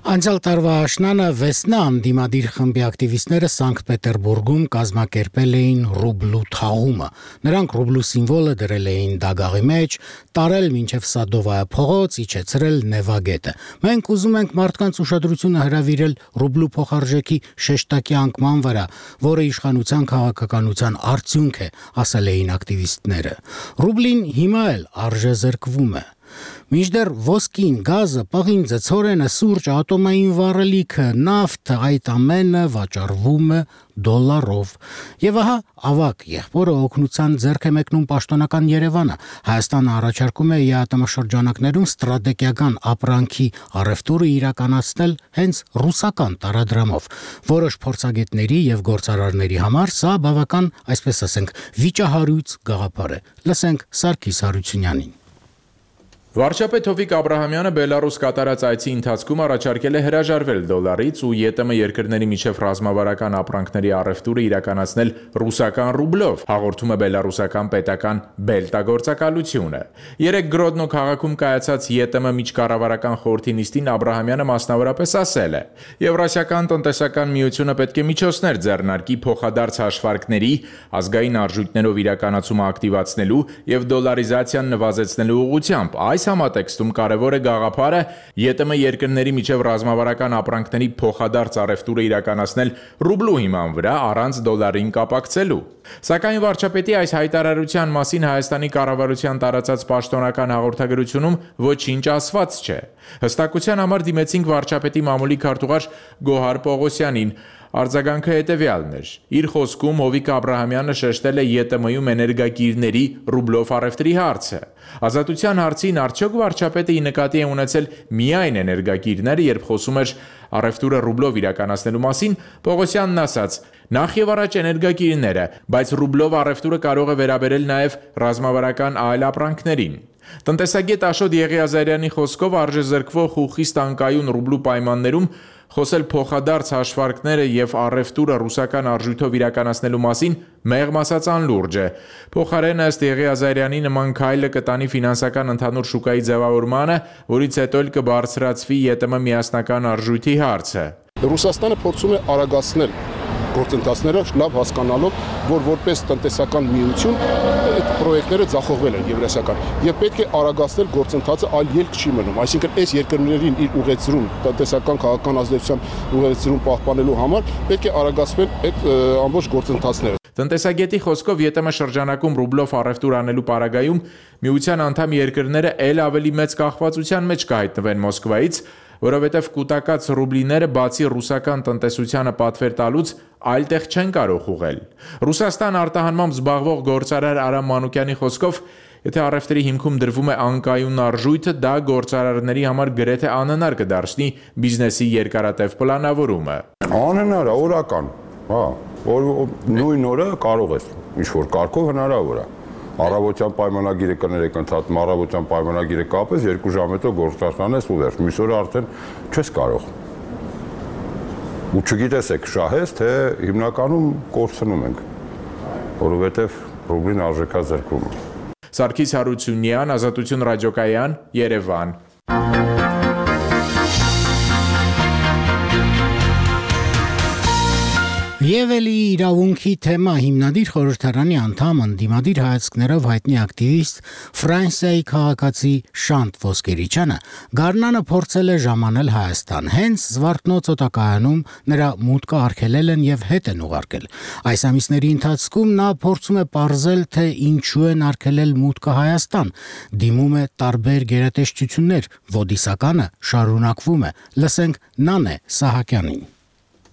Անցյալ տարվա աշնանը Վեսնա անդիմադիր խմբի ակտիվիստները Սանկտ Պետերբուրգում կազմակերպել էին ռուբլու թաղումը։ Նրանք ռուբլու սիմվոլը դրել էին դագաղի մեջ, տարել մինչև Սադովայա փողոց, իջեցրել Նևագետը։ Մենք ուզում ենք մարդկանց ուշադրությունը հրավիրել ռուբլու փոխարժեքի շեշտակի անկման վրա, որը իշխանության քաղաքականության արդյունք է, ասել էին ակտիվիստները։ Ռուբլին հիմա էլ արժեզրկվում է։ Մինչդեռ ոսկին, գազը, պղինձը, ցորենը, սուրճը, ատոմային վառելիքը, նավթը, այդ ամենը վաճառվում է դոլարով։ Եվ ահա ավակ եղբորը օգնության ձեռք է մեկնում պաշտոնական Երևանը։ Հայաստանը առաջարկում է ԵԱՏՄ շրջանակներում ստրատեգիական ապրանքի առևտուրը իրականացնել հենց ռուսական տարադրամով։ Որոշ փորձագետների եւ գործարարների համար սա բավական, այսպես ասենք, վիճահարույց գաղափար է։ Լսենք Սարգիս Հարությունյանին։ Վարչապետ Հովիկ Աբրահամյանը Բելարուս կատարած այցի ընթացքում առաջարկել է հրաժարվել դոլարից ու ԵՏՄ երկրների միջև ռազմավարական ապրանքների առևտուրը իրականացնել ռուսական ռուբլով, հաղորդում է բելարուսական պետական բելտագործակալությունը։ Երեկ Գրոդնո քաղաքում կայացած ԵՏՄ միջկառավարական խորհրդի նիստին Աբրահամյանը մասնավորապես ասել է. Եվրասիական տնտեսական միությունը պետք է միջոցներ ձեռնարկի փոխադարձ հաշվարկների, ազգային արժույթներով իրականացումը ակտիվացնելու եւ դոլարիզացիան նվազեցնելու ուղղությամբ։ Այս համատեքստում կարևոր է գաղափարը ԵՏՄ երկրների միջև ռազմավարական ապրանքների փոխադարձ առևտուրը իրականացնել ռուբլու հիման վրա առանց դոլարին կապակցելու։ Սակայն վարչապետի այս հայտարարության մասին Հայաստանի կառավարության տարածած պաշտոնական հաղորդագրությունում ոչինչ ասված չէ։ Հստակության համար դիմեցինք վարչապետի մամուլի քարտուղար Գոհար Պողոսյանին։ Արձագանքը հետևյալն էր. իր խոսքում Հովիկ Աբրահամյանը շեշտել է ԵՏՄ-ում էներգակիրների ռուբլով առևտրի հարցը։ Ազատության հարցին արդյոք վարչապետը ի նկատի է ունեցել միայն էներգակիրները, երբ խոսում էր առևտուրը ռուբլով իրականացնելու մասին, Պողոսյանն ասաց. նախ եւ առաջ էներգակիրները, բայց ռուբլով առևտուրը կարող է վերաբերել նաեւ ռազմավարական այլ ապրանքներին։ Տնտեսագետ Աշոտ Եղիազարյանի խոսքով արժեզրկվող ու խիստ անկայուն ռուբլու պայմաններում խոսել փոխադարձ հաշվարկները եւ առևտուրը ռուսական արժույթով իրականացնելու մասին մեղմ ասած անլուրջ է։ Փոխարենը ըստ Եղիազարյանի նման քայլը կտանի ֆինանսական ընդհանուր շուկայի ձևավորմանը, որից հետո էլ կբարձրացվի ԵՏՄ միասնական արժույթի հարցը։ Ռուսաստանը փորձում է արագացնել գործընթացները լավ հասկանալով, որ որպես տնտեսական միություն այդ պրոյեկտները ձախողվել են եվրասիական եւ պետք է արագացնել գործընթացը, այլ ելք չի մնում, այսինքն այս երկրներին իր ուղեցրում, տնտեսական քաղաքական ազդեցության ուղեցրում պահպանելու համար պետք է արագացվել այդ ամբողջ գործընթացները։ Տնտեսագետի խոսքով ԵՏՄ շրջանակում ռուբլով առևտուր անելու պարագայում միության անդամ երկրները ել ավելի մեծ կախվածության մեջ կհայտնվեն Մոսկվայից, որովհետև կուտակած ռուբլիները բացի ռուսական տնտեսությանը պատվեր տալուց այլ տեղ չեն կարող ուղղել։ Ռուսաստան արտահանմամբ զբաղվող գործարար Արամ Մանուկյանի խոսքով, եթե առևտրի հիմքում դրվում է անկայուն արժույթը, դա գործարարների համար գրեթե անհնար կդարձնի բիզնեսի երկարատև պլանավորումը։ Անհնար է, օրական, հա, նույն օրը կարող ես ինչ-որ կարգով հնարավոր է։ Առավոտյան պայմանագիրը կներեք ընդհատում, առավոտյան պայմանագիրը կապես, 2 ժամ հետո գործարքն ես ու վերջ, մյուս օրը արդեն չես կարող։ Ու չգիտես եք շահես, թե հիմնականում կորցնում ենք, որովհետև ռուբլին արժեքազրկվում է։ Սարգիս Հարությունյան, Ազատություն ռադիոկայան, Երևան։ Եվ էլի իրավունքի թեմա հիմնադիր խորհրդարանի անդամ ընդդիմադիր հայացքներով հայտնի ակտիվիստ Ֆրանսիայի քաղաքացի Շանտ Ոսկերիչյանը գարնանը փորձել է ժամանել Հայաստան։ Հենց Զվարթնոց օտակայանում նրա մուտքը արգելել են եւ հետ են ուղարկել։ Այս ամիսների ընթացքում նա փորձում է պարզել, թե ինչու են արգելել մուտքը Հայաստան։ Դիմում է տարբեր գերատեսչություններ, ոդիսականը շարունակվում է։ Լսենք Նանե Սահակյանին։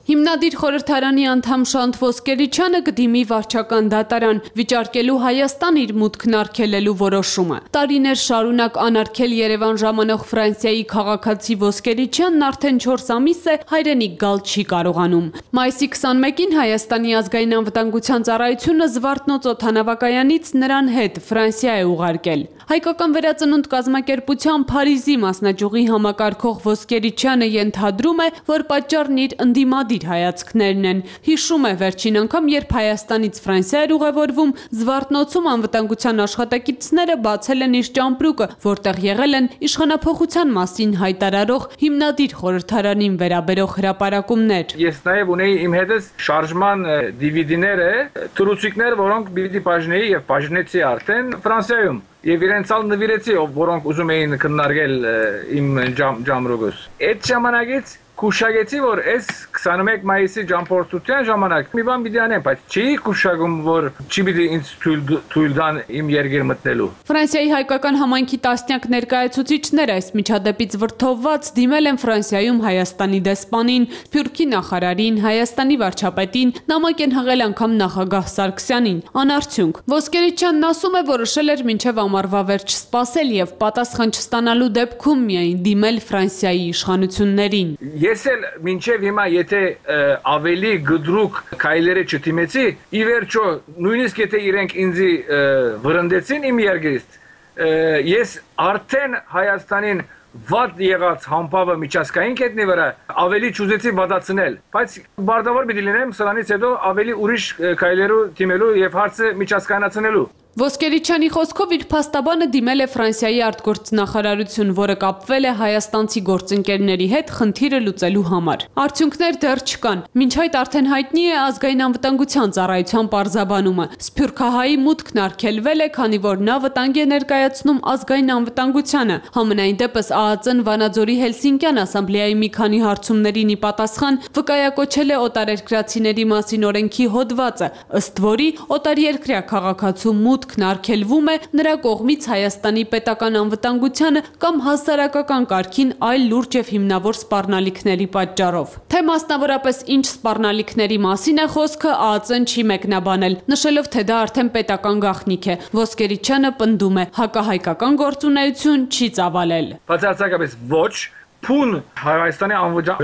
Հիմնադիր խորհրդարանի անդամ Շանտ Ոսկերիչյանը կդիմի վարչական դատարան, վիճարկելու Հայաստան իր մուտքն արգելելու որոշումը։ Տարիներ շարունակ անարգել Երևան ժամանող Ֆրանսիայի քաղաքացի Ոսկերիչյանն արդեն 4 ամիս է հայրենիք գալ չի կարողանում։ Մայիսի 21-ին Հայաստանի ազգային անվտանգության ծառայությունը Զվարթնոց օդանավակայանից նրան հետ Ֆրանսիա է ուղարկել։ Հայկական վերածնունդ կազմակերպության Փարիզի մասնաճյուղի համակարգող Ոսկերիչյանը ենթադրում է, որ պատճառն իր ընդդիմադիր հայացքներն են։ Հիշում է վերջին անգամ, երբ Հայաստանից Ֆրանսիա էր ուղևորվում, Զվարթնոցում անվտանգության աշխատակիցները բացել են իր ճամպրուկը, որտեղ եղել են իշխանափոխության մասին հայտարարող հիմնադիր խորհրդարանին վերաբերող հրապարակումներ։ Ես նաև ունեի իմ հետս շարժման DVD-ները, թռուցիկներ, որոնք պիտի բաժնեի եւ բաժնեցի արդեն Ֆրանսիայում։ Եվ իրենց ալ նվիրեցի, որոնք ուզում էին քննարկել իմ ճամպրուկս։ Այդ ժամանակից Կուշագեցի, որ այս 21 մայիսի ճամփորդության ժամանակ մի բան պիտի անեմ, բայց չի կուշագում, որ չի պիտի ինձ թույլ տան իմ երկիր մտնելու։ Ֆրանսիայի հայկական համայնքի տասնյակ ներկայացուցիչներ այս միջադեպից վրդովված դիմել են Ֆրանսիայում Հայաստանի դեսպանին, Սփյուռքի նախարարին, Հայաստանի վարչապետին, նամակ են հղել անգամ նախագահ Սարգսյանին։ Անարդյունք։ Ոսկերիչյանն ասում է, որոշել էր մինչև ամառվա վերջ սպասել եւ պատասխան չստանալու դեպքում միայն դիմել Ֆրանսիայի իշխանություններին։ Ես էլ մինչև հիմա եթե ավելի գդրուկ քայլերը չդիմեցի, ի վերջո նույնիսկ եթե իրենք ինձ վրընդեցին իմ երկրից, ես արդեն Հայաստանին վատ եղած համբավը միջազգային կետնի վրա ավելի չուզեցի վատացնել, բայց բարձրավոր պիտի լինեմ սրանից հետո ավելի ուրիշ քայլերու դիմելու եւ հարցը միջազգայնացնելու։ Ոսկերիչյանի խոսքով իր փաստաբանը դիմել է Ֆրանսիայի արտգործնախարարություն, որը կապվել է հայաստանցի գործընկերների հետ խնդիրը լուծելու համար։ Արդյունքներ դեռ չկան։ Մինչ այդ արդեն հայտնի է ազգային անվտանգության ծառայության պարզաբանումը։ Սփյուռքահայի մուտքն արգելվել է, քանի որ նա վտանգ է ներկայացնում ազգային անվտանգությանը։ Համենայն դեպս ԱԱԾ-ն Վանաձորի Հելսինկյան ասամբլեայի մի քանի հարցումներին ի պատասխան վկայակոչել է օտարերկրացիների մասին օրենքի հոդվածը, ըստ որի օտարերկրյա քաղաքացու մուտքն արգելվում է նրա կողմից Հայաստանի պետական անվտանգությանը կամ հասարակական կարգին այլ լուրջ եւ հիմնավոր սպառնալիքների պատճառով։ Թե մասնավորապես ինչ սպառնալիքների մասին է խոսքը, ԱԱԾ-ն չի մեկնաբանել, նշելով, թե դա արդեն պետական գաղտնիք է։ Ոսկերիչյանը պնդում է, հակահայկական գործունեություն չի ծավալել։ Բացարձակապես ոչ, փուն Հայաստանի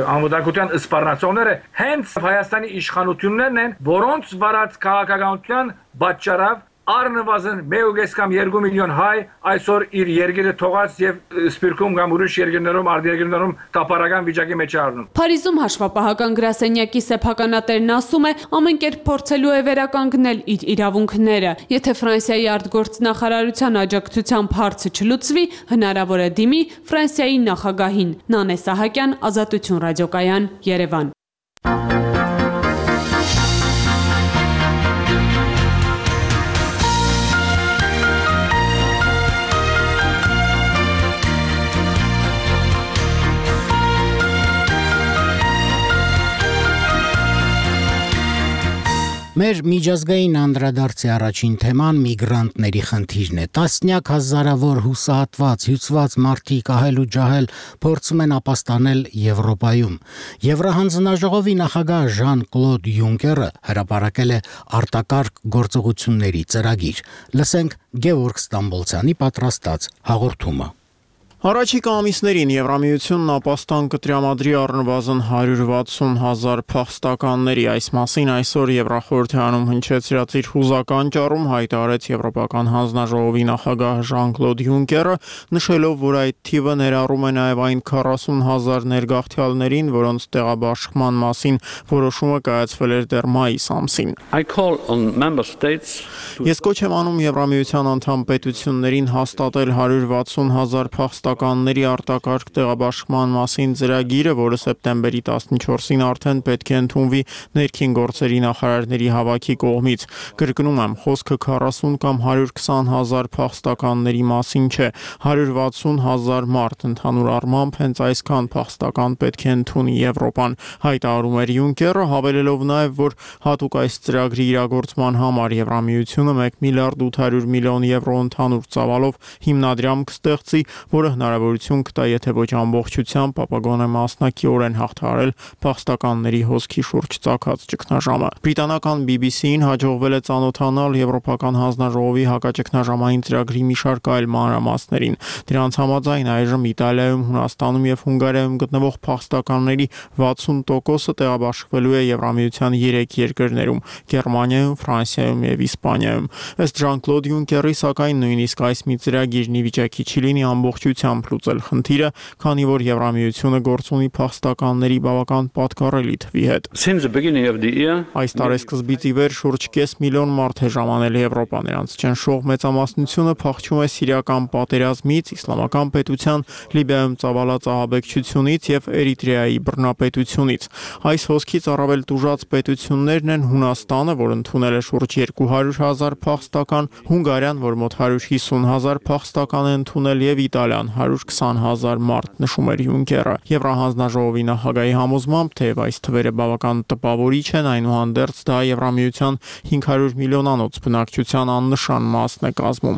անվտանգության սպառնացողները հենց Հայաստանի իշխանություններն են, որոնց վարած քաղաքականության պատճառով առնվազն 1.5 կամ 2 միլիոն հայ այսօր իր երկիրը թողած եւ Սփյուռքում կամ ուրիշ երկրներում, արտերկրներում տապարական վիճակի մեջ առնում։ Փարիզում հաշվապահական գրասենյակի սեփականատերն ասում է, ամեն կերպ փորձելու է վերականգնել իր իրավունքները։ Եթե Ֆրանսիայի արտգործնախարարության աջակցությամբ հարցը չլուծվի, հնարավոր է դիմի Ֆրանսիայի նախագահին։ Նանե Սահակյան, Ազատություն ռադիոկայան, Երևան։ Մեր միջազգային անդրադարձի առաջին թեման միգրանտների խնդիրն է։ Տասնյակ հազարավոր հուսահատված, հյուծված մարդիկ ահել ու ջահել փորձում են ապաստանել Եվրոպայում։ Եվրահանձնաժողովի նախագահ Ժան-Կլոդ Յունկերը հրապարակել է արտակարգ գործողությունների ծրագիր։ Լսենք Գևորգ Ստամբոլցյանի պատրաստած հաղորդումը։ Առաջիկա ամիսներին Եվրամիությունն ապաստան կտրամադրի առնվազն 160,000 փախստականների։ Այս մասին այսօր Եվրախորհրդարանում հնչեցրած իր հուզական ճառում հայտարարեց Եվրոպական հանձնաժողովի նախագահ Ժան-Կլոդ Յունկերը, նշելով, որ այդ թիվը ներառում է նաև այն 40,000 ներգաղթյալներին, որոնց տեղաբաշխման մասին որոշումը կայացվել էր դեռ մայիս ամսին։ Ես կոչ եմ անում Եվրամիության անդամ պետություններին հաստատել 160,000 փախստականների արտակարգ տեղաբաշխման մասին ծրագիրը, որը սեպտեմբերի 14-ին արդեն պետք է ընդունվի ներքին գործերի նախարարների հավաքի կողմից։ Կրկնում եմ, խոսքը 40 կամ 120,000 փախստականների մասին չէ, 160,000 մարդ ընդհանուր առմամբ հենց այսքան փախստական պետք է ընդունի Եվրոպան, հայտարարում էր Յունկերը, հավելելով նաև, որ հատուկ այս ծրագրի իրագործման համար Եվրամիությունը 1 միլիարդ 800 միլիոն եվրո ընդհանուր ծավալով հիմնադրամ կստեղծի, որը հնարավորություն կտա, եթե ոչ ամբողջությամբ, ապա գոնե մասնակիորեն հաղթահարել փախստականների հոսքի շուրջ ծագած ճգնաժամը։ Բրիտանական BBC-ին հաջողվել է ծանոթանալ Եվրոպական հանձնաժողովի հակաճգնաժամային ծրագրի մի շարք այլ մանրամասներին։ Դրանց համաձայն այժմ Իտալիայում, Հունաստանում եւ Հունգարիայում գտնվող փախստականների 60%-ը տեղաբաշխվելու է Եվրամիության 3 երկրներում՝ Գերմանիայում, Ֆրանսիայում եւ Իսպանիայում։ Ըստ Ժան-Կլոդ Յունկերի, սակայն նույնիսկ այս մի ծրագիրն ի վիճակի չի լինի ամբողջությամբ լուծել խնդիրը, քանի որ Եվրամիությունը գործ ունի փախստականների բավական պատկառելի թվի հետ։ Այս տարեսկզբից ի վեր շուրջ 5 միլիոն մարդ է ժամանել Եվրոպա, նրանց ճնշող մեծամասնությունը փախչում է սիրիական պատերազմից, իսլամական պետության, Լիբիայում ծավալած ահաբեկչությունից եւ Էրիտրեայի բռնապետությունից։ Այս հոսքից առավել տուժած պետություններն են Հունաստանը, որ ընդունել է շուրջ 200,000 փախստական, Հունգարիան, որ մոտ 150,000 փախստական է ընդունել, եւ Իտալիան 120,000 մարդ, նշում էր Յունկերը։ Եվրահանձնաժողովի նախագահի համոզմամբ, թեև այս թվերը բավական տպավորիչ են, այնուհանդերձ դա Եվրամիության 500 միլիոնանոց բնակչության աննշան մասն է կազմում։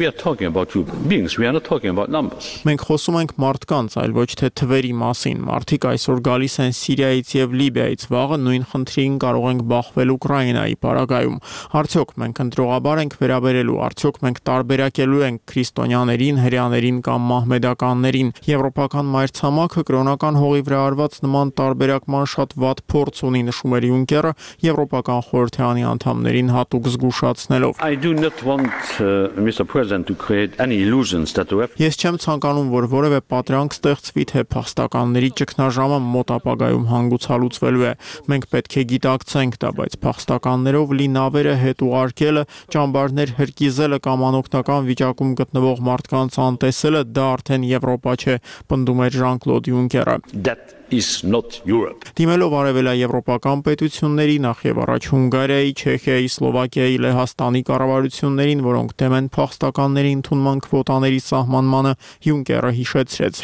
Մենք խոսում ենք մարդկանց, այլ ոչ թե թվերի մասին։ Մարդիկ այսօր գալիս են Սիրիայից եւ Լիբիայից, վաղը նույն խնդրին կարող ենք բախվել Ուկրաինայի պարագայում։ Արդյոք մենք ընտրողաբար ենք վերաբերելու, արդյոք մենք տարբերակելու ենք քրիստոնյաներին, հրեաներին կամ մահմեդականներին։ Եվրոպական մայրցամաքը կրոնական հողի վրա արված նման տարբերակման շատ վատ փորձ ունի, նշում էր Յունկերը, Եվրոպական խորհրդարանի անդամներին հատուկ զգուշացնելով։ Ես չեմ ցանկանում, որ որևէ պատրանք ստեղծվի, թե փախստականների ճգնաժամը մոտ ապագայում հանգուցալուծվելու է։ Մենք պետք է գիտակցենք դա, բայց փախստականներով լի նավերը հետ ուղարկելը, ճամբարներ հրկիզելը կամ անօգնական վիճակում գտնվող մարդկանց անտեսելը դա արդեն Եվրոպա չէ, պնդում էր Ժան-Կլոդ Յունկերը։ Դիմելով արևելաեվրոպական պետությունների, նախ եւ առաջ Հունգարիայի, Չեխիայի, Սլովակիայի, Լեհաստանի կառավարություններին, որոնք դեմ են փախստականների ընդունման քվոտաների սահմանմանը, Յունկերը հիշեցրեց.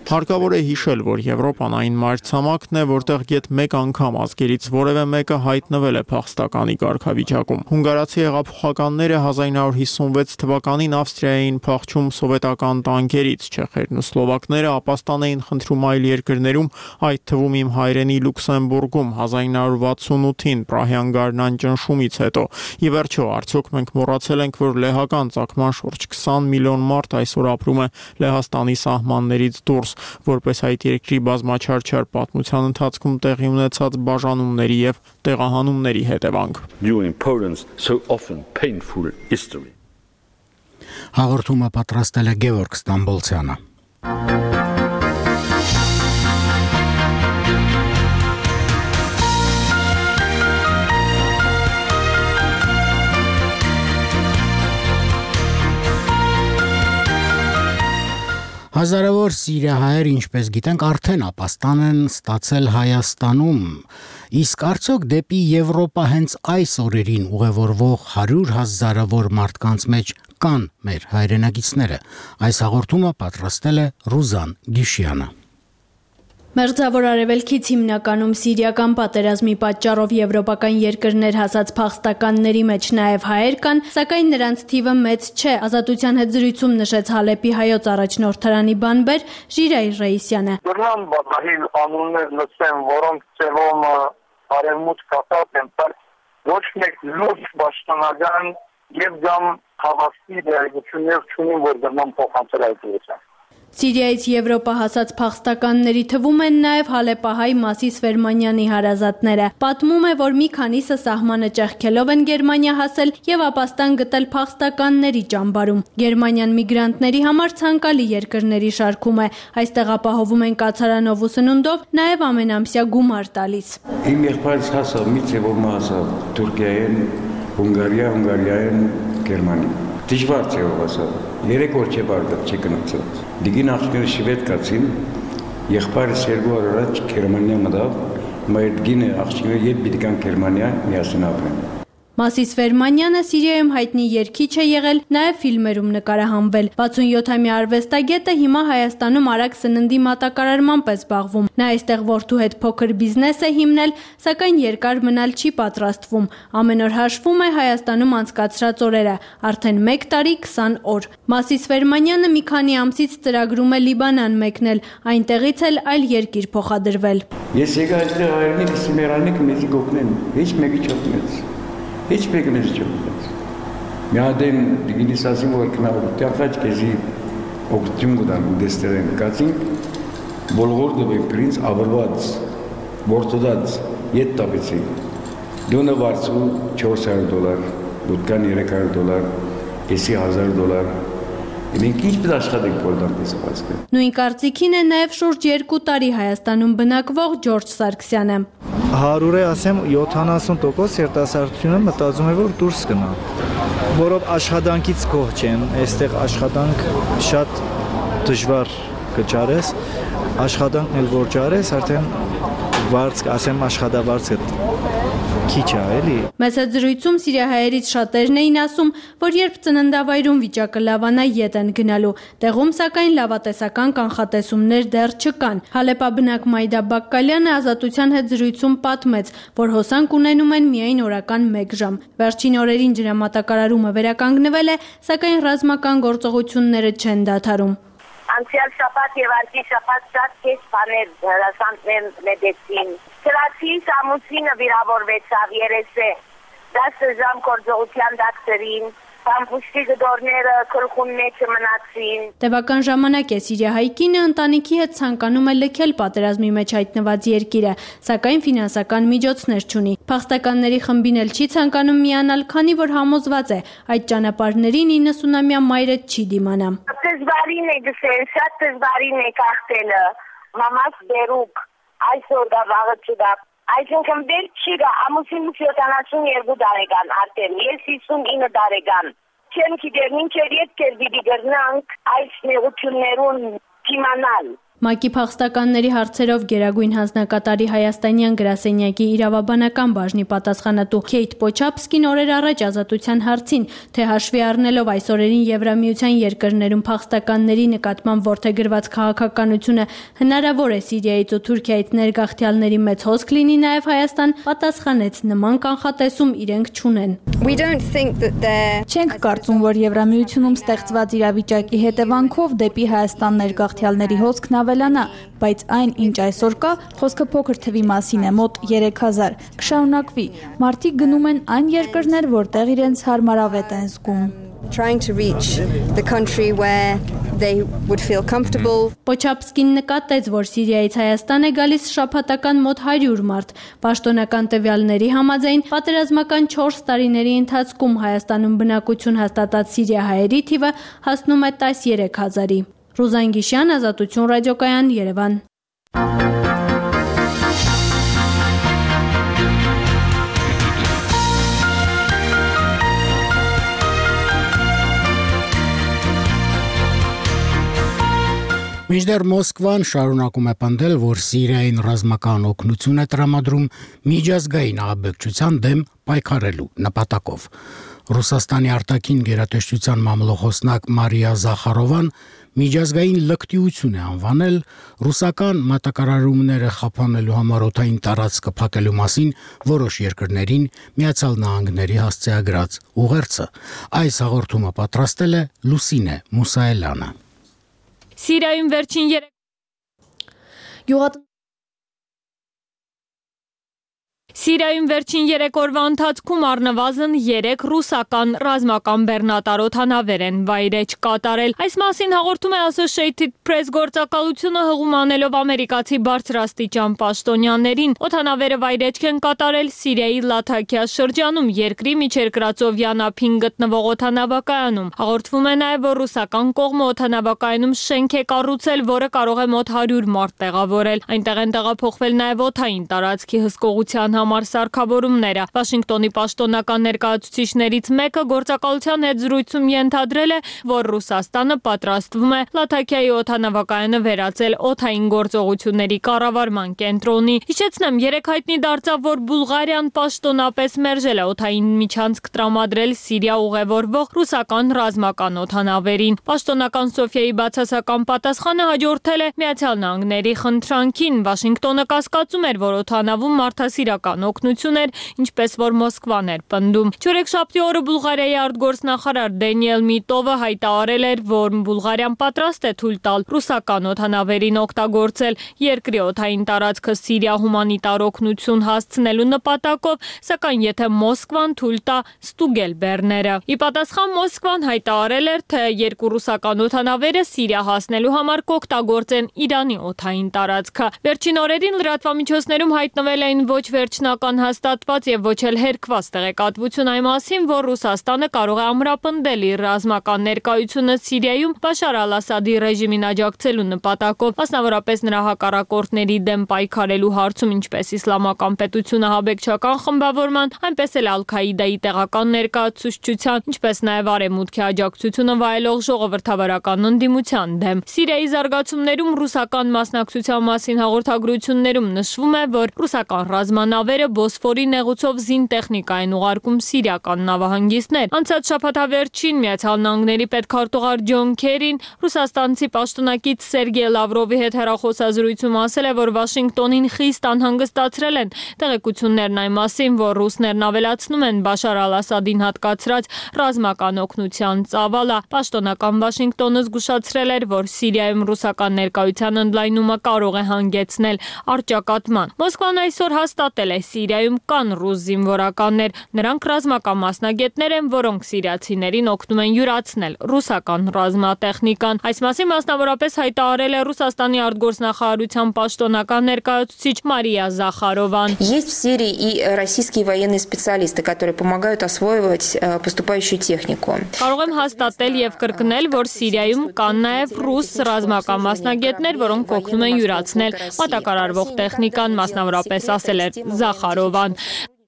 Հարկավոր է հիշել, որ Եվրոպան այն մայրցամաքն է, որտեղ գեթ մեկ անգամ ազգերից որևէ մեկը հայտնվել է փախստականի կարգավիճակում։ Հունգարացի հեղափոխականները 1956 թվականին Ավստրիայի էին փախչում սովետական տանկերից, չեխերն ու սլովակները ապաստան էին խնդրում այլ երկրներում, այդ թվում իմ հայրենի Լյուքսեմբուրգում 1968-ին Պրահյան գարնան ճնշումից հետո։ Ի վերջո, արդյոք մենք մոռացել ենք, որ լեհական ծագման շուրջ 20 միլիոն մարդ այսօր ապրում է Լեհաստանի սահմաններից դուրս, որպես այդ երկրի բազմաչարչար պատմության ընթացքում տեղի ունեցած բաժանումների եւ տեղահանումների հետևանք։ Հաղորդումը պատրաստել է Գևորգ Ստամբոլցյանը։ Հազարավոր սիրիահայեր, ինչպես գիտենք, արդեն ապաստան են ստացել Հայաստանում, իսկ արդյոք դեպի Եվրոպա հենց այս օրերին ուղևորվող 100,000-ավոր մարդկանց մեջ կան մեր հայրենակիցները։ Այս հաղորդումը պատրաստել է Ռուզան Գիշյանը։ Մերձավոր Արևելքից հիմնականում սիրիական պատերազմի պատճառով եվրոպական երկրներ հասած փախստականների մեջ նաև հայեր կան, սակայն նրանց թիվը մեծ չէ, Ազատության հետ զրույցում նշեց Հալեպի հայոց առաջնորդարանի բանբեր Ժիրայր Ռեյսյանը։ Դրան բազմահին անուններ լսեմ, որոնք ծևում արևմուտք կապած են, ոչ մեկ լուրջ պաշտոնական եւ կամ հավաստի դերակցություններ չունին, որ դրան փոխանցել այդ ուղղությամբ։ Սիրիայից Եվրոպա հասած փախստականների թվում են նաև հալեպահայ Մասիս Ֆերմանյանի հարազատները։ Պատմում է, որ մի քանիսը սահմանը ճեղքելով են Գերմանիա հասել եւ ապաստան գտել փախստականների ճամբարում։ Գերմանիան միգրանտների համար ցանկալի երկրների շարքում է։ Այստեղ ապահովում են կացարանով ու սնունդով, նաև ամենամսյա գումար տալիս։ Իմ եղբայրս հասավ մի ծևով հասավ Թուրքիայեն, Հունգարիայեն, Գերմանիա։ Դժվար ծևով հասավ։ 3 օր չէ բարդակ չի գնացած։ Դիգին աղջիկները շվեդ կացին, եղբայրս 2 օր առաջ Գերմանիա մտավ, մեր գինը աղջիկները երբ պիտի գան Գերմանիա միասին ապրեն։ Մասիս Վերմանյանը Սիրիայում հայտնի երգիչ է եղել, նաև ֆիլմերում նկարահանվել։ 67-ամյա արվեստագետը հիմա Հայաստանում արագ սննդի մատակարարմամբ է զբաղվում։ Նա այստեղ որդու հետ փոքր բիզնես է հիմնել, սակայն երկար մնալ չի պատրաստվում։ Ամեն օր հաշվում է Հայաստանում անցկացրած օրերը, արդեն 1 տարի 20 օր։ Մասիս Վերմանյանը մի քանի ամսից ծրագրում է Լիբանան մեկնել, այնտեղից էլ այլ երկիր փոխադրվել։ Ես եկա այստեղ հայրենիքս մեռանիք մեզ գոհնեն, ոչ մեկի չօգնեց։ Ոչ մեկը մեզ չօգնեց։ Մի հատ են դիգինիս ասում որ կնավ տախաչ քեզի օգտում գտան դեստերեն կացին բոլոր դեպի պրինց ավրված որտոդած ետ տապեցի դոնը վարձու $400, դուտկան $300, եսի $1000 Մենք ինչպես աշխատենք բոլորպես ասկը։ Նույն կարծիքին է նաև շուրջ 2 տարի Հայաստանում բնակվող Ջորջ Սարգսյանը։ 100-ը ասեմ 70% երիտասարդությունը մտածում է որ դուրս գնա, որով աշխատանքից գոհ չեն, այստեղ աշխատանք շատ դժվար կճարես, աշխատանքն էլ որ ճարես, արդեն վարձ, ասեմ աշխատավարձը քիչ է, էլի։ Մեծ զրույցում սիրիահայերից շատերն էին ասում, որ երբ ծննդավայրում վիճակը լավանա ետ են գնալու, տեղում սակայն լավատեսական կանխատեսումներ դեռ չկան։ Հալեպաբնակ Մայդա Բակկալյանը Ազատության հետ զրույցում պատմեց, որ հոսանք ունենում են միայն օրական 1 ժամ։ Վերջին օրերին ջրամատակարարումը վերականգնվել է, սակայն ռազմական գործողությունները չեն դադարում։ Անցյալ շաբաթ եւ արդի շաբաթ շատ քիչ բաներ հրաշքներ լեդեցին։ Սրացի ամուսինը վիրավորվեցավ երեսե 10 ժամ գործողության դակտերին, Պամպուշտի գդորները քրխուն մեջ մնացին։ Տևական ժամանակ է Սիրիահայ կինը ընտանիքի հետ ցանկանում է լքել պատերազմի մեջ հայտնված երկիրը, սակայն ֆինանսական միջոցներ չունի։ Փախստականների խմբին էլ չի ցանկանում միանալ, քանի որ համոզված է, այդ ճանապարհներին 90-ամյա մայրը չի դիմանա։ Դժվարին է գսել, շատ դժվարին է կախտելը։ Մամաս դերուկ, այսօր դա վաղը չդա։ Այսինքն դեր չի գա, ամուսինս 72 տարեկան արդեն, ես 59 տարեկան։ Չեմ գիտեր, մինչև ետ կերվիդի գրնանք այս նեղություններուն թիմանալ։ ՄԱԿ-ի փախստականների հարցերով Գերագույն հանձնակատարի հայաստանյան գրասենյակի իրավաբանական բաժնի պատասխանատու Քեյթ Պոչապսկին օրեր առաջ Ազատության հարցին, թե հաշվի առնելով այս օրերին Եվրամիության երկրներում փախստականների նկատմամբ որդեգրված քաղաքականությունը հնարավոր է Սիրիայից ու Թուրքիայից ներգաղթյալների մեծ հոսք լինի նաև Հայաստան, պատասխանեց նման կանխատեսում իրենք չունեն։ Չենք կարծում, որ Եվրամիությունում ստեղծված իրավիճակի հետևանքով դեպի Հայաստան ներգաղթյալների հոսքն ավելանա, բայց այն, ինչ այսօր կա, խոսքը փոքր թվի մասին է, մոտ 3000, կշարունակվի։ Մարդիկ գնում են այն երկրներ, որտեղ իրենց հարմարավետ են զգում։ Պոչապսկին նկատեց, որ Սիրիայից Հայաստան է գալիս շաբաթական մոտ 100 մարդ։ Պաշտոնական տվյալների համաձայն պատերազմական 4 տարիների ընթացքում Հայաստանում բնակություն հաստատած սիրիահայերի թիվը հասնում է 13000-ի։ Ռուզան Գիշյան, Ազատություն ռադիոկայան, Երևան։ Մինչդեռ Մոսկվան շարունակում է պնդել, որ Սիրիային ռազմական օգնություն է տրամադրում միջազգային ահաբեկչության դեմ պայքարելու նպատակով։ Ռուսաստանի արտաքին գերատեսչության մամլոխոսնակ Մարիա Զախարովան միջազգային լկտիություն է անվանել ռուսական մատակարարումները խափանելու համար օդային տարածքը փակելու մասին որոշ երկրներին Միացյալ Նահանգների հասցեագրած ուղերձը։ Այս հաղորդումը պատրաստել է Լուսինե Մուսայելյանը։ Սիրիայում վերջին 3 օրվա ընթացքում առնվազն 3 ռուսական ռազմական բեռնատար օդանավեր են վայրէջք կատարել։ Այս մասին հաղորդում է Associated Press գործակալությունը հղում անելով ամերիկացի բարձրաստիճան պաշտոնյաներին։ Օդանավերը վայրէջք են կատարել Սիրիայի Լաթաքիա շրջանում, երկրի միջերկրածովյան ափին գտնվող օդանավակայանում։ Հաղորդվում է նաև, որ ռուսական կողմը օդանավակայանում շենք է կառուցել, որը կարող է մոտ 100 մարդ տեղավորել։ Այնտեղ են տեղափոխվել նաև օդային տարածքի հսկողության համար համար սարքավորումները։ Վաշինգտոնի պաշտոնական ներկայացուցիչներից մեկը գործակալության հետ զրույցում ենթադրել է, որ Ռուսաստանը պատրաստվում է Լաթաքիայի օդանավակայանը վերածել օդային գործողությունների կառավարման կենտրոնի։ Հիշեցնեմ, երեք հայտնի դարձավ, որ Բուլղարիան պաշտոնապես մերժել է օդային միջանցք տրամադրել Սիրիա ուղևորվող ռուսական ռազմական օդանավերին։ Պաշտոնական Սոֆիայի բացասական պատասխանը հաջորդել է Միացյալ Նահանգների խնդրանքին։ Վաշինգտոնը կասկածում էր, որ օդանավում մարդասիրական օգնություն էր, ինչպես որ Մոսկվան էր պնդում։ Չորեքշաբթի օրը Բուլղարիայի արտգործնախարար Դենիել Միտովը հայտարարել էր, որ Բուլղարիան պատրաստ է թույլ տալ ռուսական օդանավերին օգտագործել երկրի օդային տարածքը Սիրիա հումանիտար օգնություն հասցնելու նպատակով, սակայն եթե Մոսկվան թույլ տա ստուգել բեռները։ Ի պատասխան Մոսկվան հայտարարել էր, թե երկու ռուսական օդանավերը Սիրիա հասնելու համար կօգտագործեն Իրանի օդային տարածքը։ Վերջին օրերին լրատվամիջոցներում հայտնվել էին ոչ վերջնական հաստատված եւ ոչ էլ հերքված տեղեկատվություն այն մասին, որ Ռուսաստանը կարող է ամրապնդել իր ռազմական ներկայությունը Սիրիայում Բաշար al-Ասադի ռեժիմին աջակցելու նպատակով, մասնավորապես նրա հակառակորդների դեմ պայքարելու հարցում, ինչպես Իսլամական պետությունը հաբեկչական խմբավորման, այնպես էլ Ալ-Քաիդայի տեղական ներկայացուցչության, ինչպես նաեւ Արևմուտքի աջակցությունը վայելող ժողովրդավարական ընդդիմության դեմ։ Սիրիայի զարգացումներում ռուսական մասնակցության մասին հաղորդագրություններում նշվում է, որ ռուսական ռազմանավերը Բոսֆորի նեղուցով զինտեխնիկա են ուղարկում սիրիական նավահանգիստներ։ Անցած շաբաթավերջին Միացյալ Նահանգների պետքարտուղար Ջոն Քերին ռուսաստանցի պաշտոնակից Սերգեյ Լավրովի հետ հեռախոսազրույցում ասել է, որ Վաշինգտոնին խիստ անհանգստացրել են տեղեկություններն այն մասին, որ ռուսներն ավելացնում են Բաշար al-Ասադին հատկացրած ռազմական օգնության ծավալը։ Պաշտոնական Վաշինգտոնը զգուշացրել էր, որ Սիրիայում ռուսական ներկայության ընդլայնումը կարող է հանգեցնել առճակատման։ Մոսկվան այսօր հաստատել է Սիրիայում կան ռուս զինվորականներ, նրանք ռազմական մասնագետներ են, որոնք սիրիացիներին օգնում են յուրացնել ռուսական ռազմատեխնիկան։ Այս մասին մասնավորապես հայտարարել է Ռուսաստանի արտգործնախարարության պաշտոնական ներկայացուցիչ Մարիա Զախարովան։ Есть в Сирии и российские военные специалисты, которые помогают осваивать поступающую технику. Կարող եմ հաստատել եւ կրկնել, որ Սիրիայում կան նաեւ ռուս ռազմական մասնագետներ, որոնք օգնում են յուրացնել մատակարարվող տեխնիկան, մասնավորապես ասել է Զախարովան։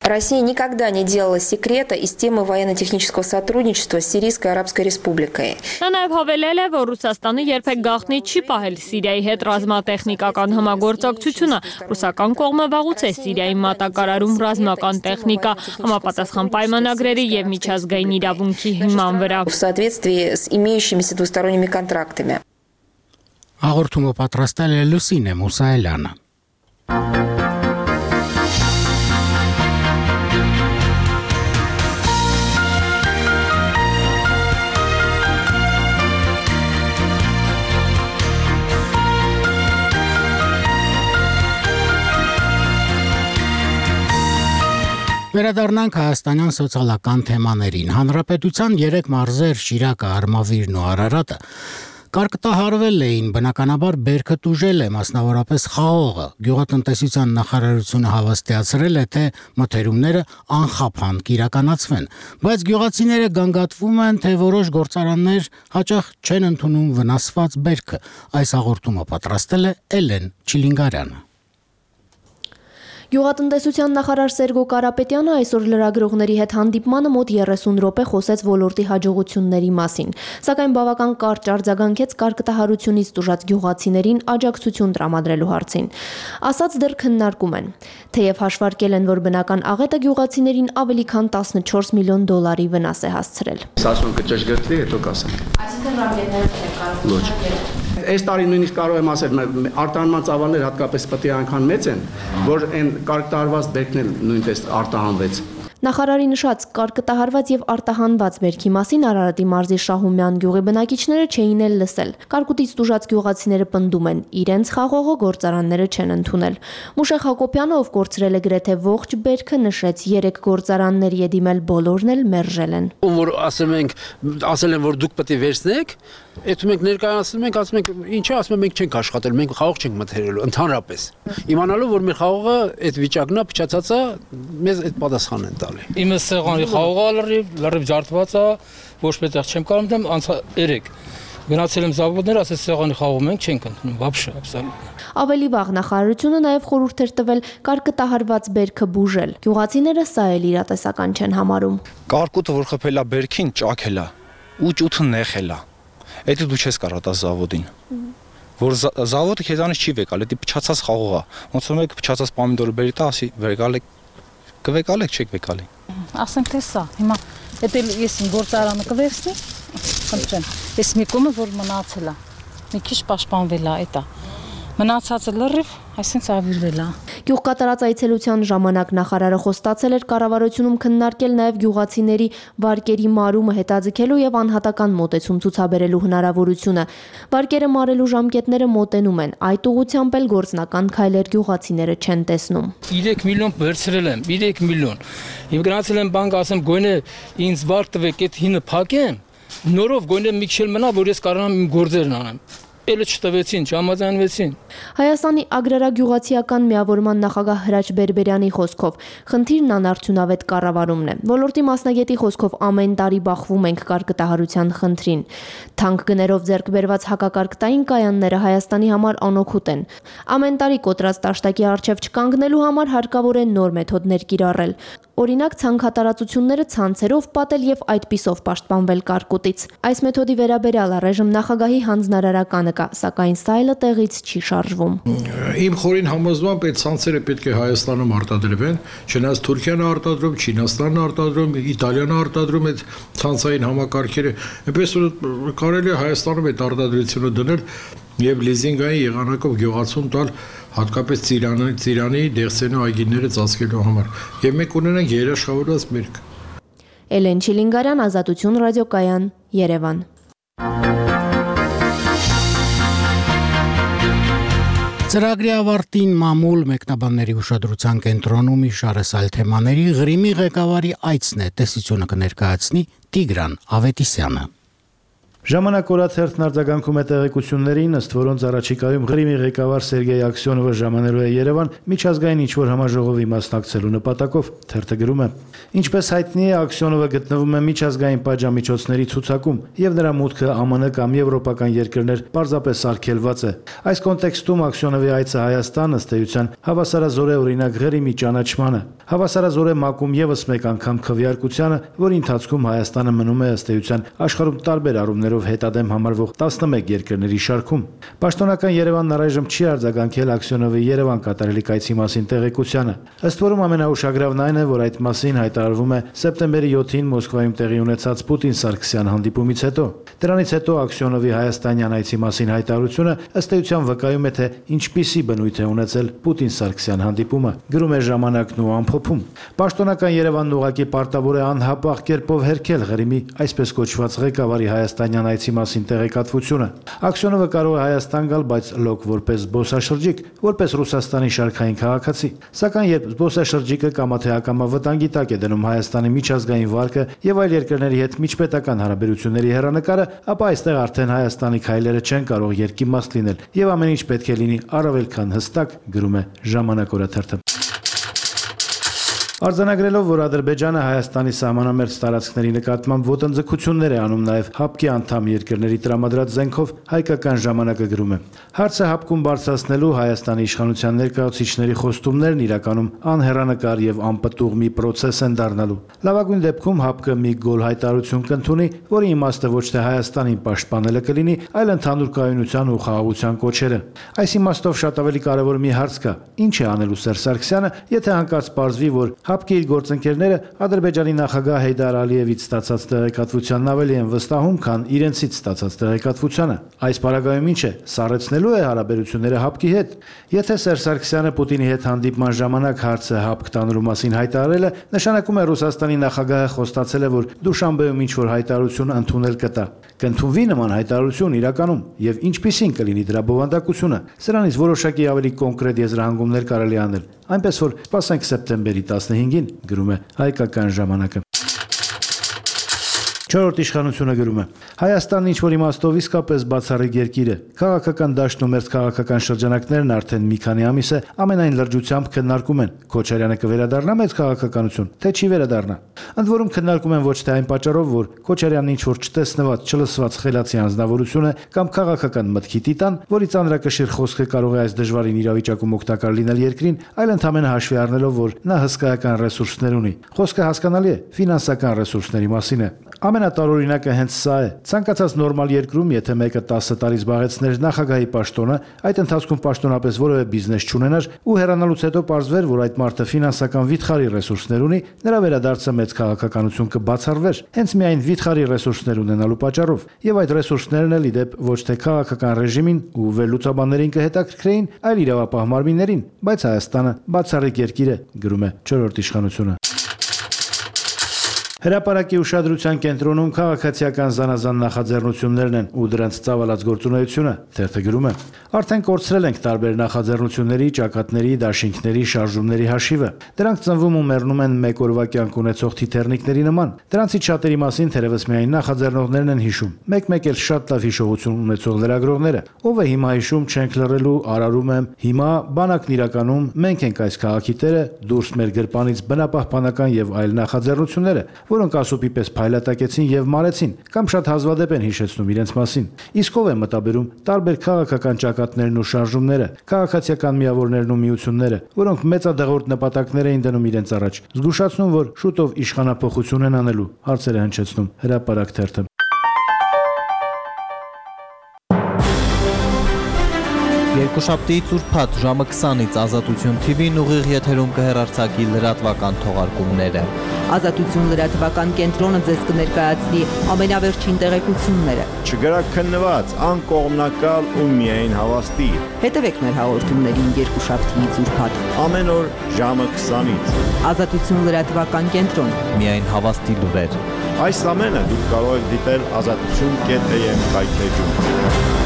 Россия никогда не делала секрета из темы военно-технического сотрудничества с Сирийской Арабской Республикой. Նա նաև հավելել է, որ Ռուսաստանը երբեք գաղտնի չի պահել Սիրիայի հետ ռազմատեխնիկական համագործակցությունը։ Ռուսական կողմը վաղուց է Սիրիայի մատակարարում ռազմական տեխնիկա համապատասխան պայմանագրերի եւ միջազգային իրավունքի հիման վրա։ В соответствии с имеющимися двусторонними контрактами. Հաղորդումը պատրաստել է Լուսինե Մուսայելյանը։ Վերադառնանք հայաստանյան սոցիալական թեմաներին։ Հանրապետության 3 մարզեր՝ Շիրակը, Արմավիրն ու Արարատը կարկտահարվել էին, բնականաբար բերքը տուժել է, մասնավորապես Խաղողը։ Գյուղատնտեսության նախարարությունը հավաստիացրել է, թե մթերումները անխափան կիրականացվեն, բայց գյուղացիները գանգատվում են, թե որոշ գործարաններ հաճախ չեն ընդունում վնասված բերքը։ Այս հաղորդումը պատրաստել է Էլեն Չիլինգարյանը։ Գյուղատնտեսության նախարար Սերգո Կարապետյանը այսօր լրագրողների հետ հանդիպմանը մոտ 30 րոպե խոսեց ոլորտի հաջողությունների մասին, սակայն բավական կարճ արձագանքեց կարկտահարությունից տուժած գյուղացիներին աջակցություն տրամադրելու հարցին։ Ասած դեռ քննարկում են, թեև հաշվարկել են, որ բնական աղետը գյուղացիներին ավելի քան 14 միլիոն դոլարի վնաս է հասցրել։ Ասում կճշգրտվի, հետո կասեմ։ Այսինքն ռամկետները Այս տարի նույնիսկ կարող եմ ասել, արտահանման ծավալները հատկապես պետք է այնքան մեծ են, որ այն կարկտահարված բերքն էլ նույնպես արտահանվեց։ Նախարարի նշած կարկտահարված եւ արտահանված բերքի մասին Արարատի մարզի Շահումյան գյուղի բնակիչները չէին էլ լսել։ Կարկուտից տուժած գյուղացիները պնդում են, իրենց խաղողը գործարանները չեն ընդունել։ Մուշեղ Հակոբյանը, ով կորցրել է գրեթե ողջ բերքը, նշեց 3 գործարանների է դիմել, բոլորն էլ մերժել են։ Ում որ ասել են, որ դուք պետք է վերցնեք, այդ մենք ներկայացնում ենք, ասում ենք, ինչա, ասում ենք մենք չենք աշխատել, մենք խաղող չենք մթերելու, ընդհանրապես։ Իմանալով, որ մեր խաղողը այդ վիճակն է, փչացած է, մեզ այդ պատասխանն են տալի։ Իմը սեղանի խաղողը լրիվ ջարդված է, ոչ մետեղ չեմ կարող դեմ անցա 3 Գնացել եմ զավոդներ, ասես սեղանի խաղում ենք, չենք ընդունում, вообще, абсолютно։ Ավելի վաղ նախարարությունը նաև խորհուրդ էր տվել կարկտահարված բերքը բուժել։ Գյուղացիները սա էլ իրատեսական չեն համարում։ Կարկուտը, որ խփելա բերքին, ճաքել է ու ճութը նեղել է։ Էդի դու չես կարող տա զավոդին։ Որ զավոդը քեզանից չի վեկալ, էդի փչացած խաղող է։ Ոնց որ մեկ փչացած պոմիդորը բերի տա, ասի վեկալ եք, կվեկալեք, չեք վեկալի։ Ասենք թե սա, հիմա եթե ես իմ գործարանը կվերցնի, խնդրեմ, ես մի կողմը որ մնացել է, մի քիչ պաշտպանվել է, էտա։ Մնացածը լրիվ, այսինքն ավիրվել է։ Գյուղկատարած այցելության ժամանակ նախարարը խոստացել էր կառավարությունում քննարկել նաև գյուղացիների վարկերի մարումը հետաձգելու եւ անհատական մոտեցում ցուցաբերելու հնարավորությունը։ Վարկերը մարելու ժամկետները մոտենում են, այդ ուղղությամբ էլ գործնական քայլեր գյուղացիները չեն տեսնում։ 3 միլիոն վերցրել եմ, 3 միլիոն։ Իմ գնացել եմ բանկ, ասեմ գույնը ինձ վարկ տվեք, այդ հինը փակեմ, նորով գույնը մի քիչ մնա, որ ես կարողանամ իմ գործերն անեմ։ Էլը չտվեցին, չհամաձայնվեցին։ Հայաստանի ագրարագյուղացիական միավորման նախագահ Հրաչ Բերբերյանի խոսքով խնդիրն անարդյունավետ կառավարումն է։ Ոլորտի մասնագետի խոսքով ամեն տարի բախվում ենք կարկտահարության խնդրին։ Թանկ գներով ձեռք բերված հակակարկտային կայանները Հայաստանի համար անօգուտ են։ Ամեն տարի կոտրած տաշտակի առջև չկանգնելու համար հարկավոր է նոր մեթոդներ կիրառել։ Օրինակ ցանքատարածությունները ցանցերով պատել եւ այդպիսով պաշտպանվել կարկուտից։ Այս մեթոդի վերաբերյալ առայժմ նախագահի հանձնարարականը կա, սակայն սայլը տեղից չի շարժվում։ Իմ խորին համոզմամբ այդ ցանցերը պետք է Հայաստանում արտադրվեն, չնայած Թուրքիան արտադրում, Չինաստանն արտադրում, Իտալիան արտադրում այդ ցանցային համակարգերը, այնպես որ կարելի է Հայաստանում այդ արտադրությունը դնել եւ լիզինգային եղանակով գյուղացում տալ հատկապես Ծիրանի, Դեղսենի այգիները ծածկելու համար։ Եվ մենք ունենանք երաշխավորված մերկ։ Էլեն Չիլինգարյան, Ազատություն ռադիոկայան, Երևան։ Ծրագրի ավարտին մամուլ մեկնաբանների ուշադրության կենտրոնում իշարեսալ թեմաների Ղրիմի ղեկավարի այցն է, տեսությունը կներկայացնի Տիգրան Ավետիսյանը։ Ժամանակ օրաթերթն արձագանքում է տեղեկություններին, ըստ որոնց առաջիկայում Ղրիմի ղեկավար Սերգեյ Աքսյոնովը ժամանելու է Երևան միջազգային ինչ-որ համաժողովի մասնակցելու նպատակով, թերթը գրում է. Ինչպես հայտնի է, Աքսյոնովը գտնվում է միջազգային պատժամիջոցների ցուցակում եւ նրա մուտքը ԱՄՆ կամ եվրոպական երկրներ պարզապես արգելված է։ Այս կոնտեքստում Աքսյոնովի այցը Հայաստան ըստ էության հավասարազոր է օրինակ Ղրիմի ճանաչմանը, հավասարազոր է մակում եւս մեկ անգամ քվեարկությանը, որի ընթացքում Հայաստանը մնում է ըստ էության աշխարհում տարբեր առումներով հետադեմ համարվող 11 երկրների շարքում։ Պաշտոնական Երևանն առայժմ չի արձագանքել Աքսյոնովի Երևան կատարելիք այցի մասին տեղեկությանը։ Ըստ որում ամենաուշագրավն այն է, որ այդ մասին հայտարարվում է սեպտեմբերի 7-ին Մոսկվայում տեղի ունեցած Պուտին-Սարգսյան հանդիպումից հետո։ Դրանից հետո Աքսյոնովի հայաստանյան այցի մասին հայտարարությունը ըստ էության վկայում է, թե ինչպիսի բնույթ է ունեցել Պուտին-Սարգսյան հանդիպումը, գրում է Ժամանակն ու ամփոփում։ Պաշտոնական Երևանն ուղղակի պարտավոր է անհապաղ կերպով հերքել Ղրիմի այսպես կոչված ղեկավարի հայաստանյան այցի մասին տեղեկատվությունը։ Աքսյոնովը կարող է Հայաստան գալ, բայց լոկ որպես զբոսաշրջիկ, որպես Ռուսաստանի շարքային քաղաքացի։ Սակայն երբ զբոսաշրջիկը կամա թե ակամա վտանգի տակ է դնում Հայաստանի միջազգային վարկը եւ այլ երկրների հետ միջպետական հարաբերությունների հեռանկարը, ապա այստեղ արդեն Հայաստանի քայլերը չեն կարող երկիմաստ լինել եւ ամեն ինչ պետք է լինի առավել քան հստակ, գրում է Ժամանակ օրաթերթը։ Արձանագրելով, որ Ադրբեջանը Հայաստանի սահմանամերձ տարածքների նկատմամբ ոտնձգություններ է անում նաև ՀԱՊԿ-ի անդամ երկրների տրամադրած զենքով, հայկական ժամանակը գրում է. Հարցը ՀԱՊԿ-ում բարձրացնելու Հայաստանի իշխանության ներկայացուցիչների խոստումներն իրականում անհեռանկար եւ անպտուղ մի պրոցես են դառնալու։ Լավագույն դեպքում ՀԱՊԿ-ը մի գոլ հայտարարություն կընդունի, որի իմաստը ոչ թե Հայաստանին պաշտպանելը կլինի, այլ ընդհանուր կայունության ու խաղաղության կոչերը։ Այս իմաստով շատ ավելի կարևոր մի հարց կա. ինչ է անելու Սերժ Սարգսյանը, եթե հանկարծ պարզվի, որ ՀԱՊԿ-ի իր գործընկերները Ադրբեջանի նախագահ Հեյդար Ալիևից ստացած տեղեկատվությանն ավելի են վստահում, քան իրենցից ստացած տեղեկատվությանը։ Այս պարագայում ինչ է, սառեցնելու է հարաբերությունները ՀԱՊԿ-ի հետ։ Եթե Սերժ Սարգսյանը Պուտինի հետ հանդիպման ժամանակ հարցը ՀԱՊԿ տանելու մասին հայտարարել է, նշանակում է Ռուսաստանի նախագահը խոստացել է, որ Դուշանբեում ինչ-որ հայտարարություն ընդունել կտա։ Կընդունվի նման հայտարարություն իրականում եւ ինչպիսին կլինի դրա բովանդակությունը։ Սրանից որոշակի ավելի կոնկրետ եզրահանգումներ կարելի անել։ Այնպես որ սպասենք սեպտեմբերի 15-ին, գրում է Հայկական ժամանակը։ Չորրորդ իշխանությունը գրում է. Հայաստանն ինչ-որ իմաստով իսկապես բացառիկ երկիր է։ Քաղաքական դաշտն ու մերձքաղաքական շրջանակներն արդեն մի քանի ամիս է ամենայն լրջությամբ քննարկում են. Քոչարյանը կվերադառնա մեծ քաղաքականություն, թե չի վերադառնա։ Ընդ որում քննարկում են ոչ թե այն պատճառով, որ Քոչարյանն ինչ-որ չտեսնված, չլսված խելացի անձնավորություն է կամ քաղաքական մտքի տիտան, որի ծանրակշիռ խոսքը կարող է այս դժվարին իրավիճակում օգտակար լինել երկրին, այլ ընդհանրապես հաշվի առնելով, որ նա հսկայական ռեսուրսներ ունի։ Խոսքը հասկանալի է, ֆինանսական ռեսուրսների մասին է։ Ամենատարօրինակը հենց սա է։ Ցանկացած նորմալ երկրում, եթե մեկը 10 տարի զբաղեցներ նախագահի պաշտոնը, այդ ընթացքում պաշտոնապես որևէ բիզնես չունենար ու հեռանալուց հետո պարզվեր, որ այդ մարդը ֆինանսական վիթխարի ռեսուրսներ ունի, նրա վերադարձը մեծ քաղաքականություն կբացառվեր, հենց միայն վիթխարի ռեսուրսներ ունենալու պատճառով։ Եվ այդ ռեսուրսներն էլ իդեպ ոչ թե քաղաքական ռեժիմին ու վերլուծաբաններին կհետաքրքրեին, այլ իրավապահ մարմիններին, բայց Հայաստանը բացառիկ երկիր է, գրում է չորրորդ իշխանությունը։ Հրապարակի ուշադրության կենտրոնում քաղաքացիական զանազան նախաձեռնություններն են ու դրանց ծավալած գործունեությունը, թերթը գրում է. Արդեն կորցրել ենք տարբեր նախաձեռնությունների, ճակատների, դաշինքների, շարժումների հաշիվը։ Դրանք ծնվում ու մեռնում են մեկ օրվա կյանք ունեցող թիթեռնիկների նման։ Դրանցից շատերի մասին թերևս միայն նախաձեռնողներն են հիշում։ Մեկ-մեկ էլ շատ լավ հիշողություն ունեցող լրագրողները։ Ով է հիմա հիշում, չենք լռելու, արարում եմ, հիմա բանակն իրականում, մենք ենք այս քաղաքի տերը, դուրս մեր գրպանից բնապահպանական եւ այլ նախաձեռնությունները, որոնք ասոպի պես փայլատակեցին եւ մարեցին, կամ շատ հազվադեպ են հիշեցնում իրենց մասին։ Իսկ ով է մտաբերում տարբեր քաղաքական ճակատներն ու շարժումները, քաղաքացիական միավորներն ու միությունները, որոնք մեծադեղորդ նպատակներ էին դնում իրենց առաջ, զգուշացնում, որ շուտով իշխանափոխություն են անելու, հարցեր է հնչեցնում Հրապարակ թերթը։ Երկուշաբթի ծուրփաթ ժամը 20-ից Ազատություն TV-ն ուղիղ եթերում կհեռարձակի լրատվական թողարկումները։ Ազատություն լրատվական կենտրոնը ձեզ կներկայացնի ամենավերջին տեղեկությունները։ Չգրաքննված, անկողմնակալ ու միայն հավաստի։ Հետևեք մեր հաղորդումներին երկուշաբթի ծուրփաթ ամեն օր ժամը 20-ից։ Ազատություն լրատվական կենտրոն։ Միայն հավաստի լուրեր։ Այս ամենը դուք կարող եք դիտել azatutun.am կայքեջում։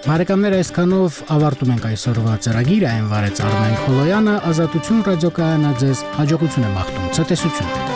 Բարեկամներ, այսքանով ավարտում ենք այսօրվա ծրագիրը, այն վարեց Արմեն Խոլոյանը, Ազատություն ռադիոկայանը ձեզ հաջողություն է մաղթում, ցտեսություն։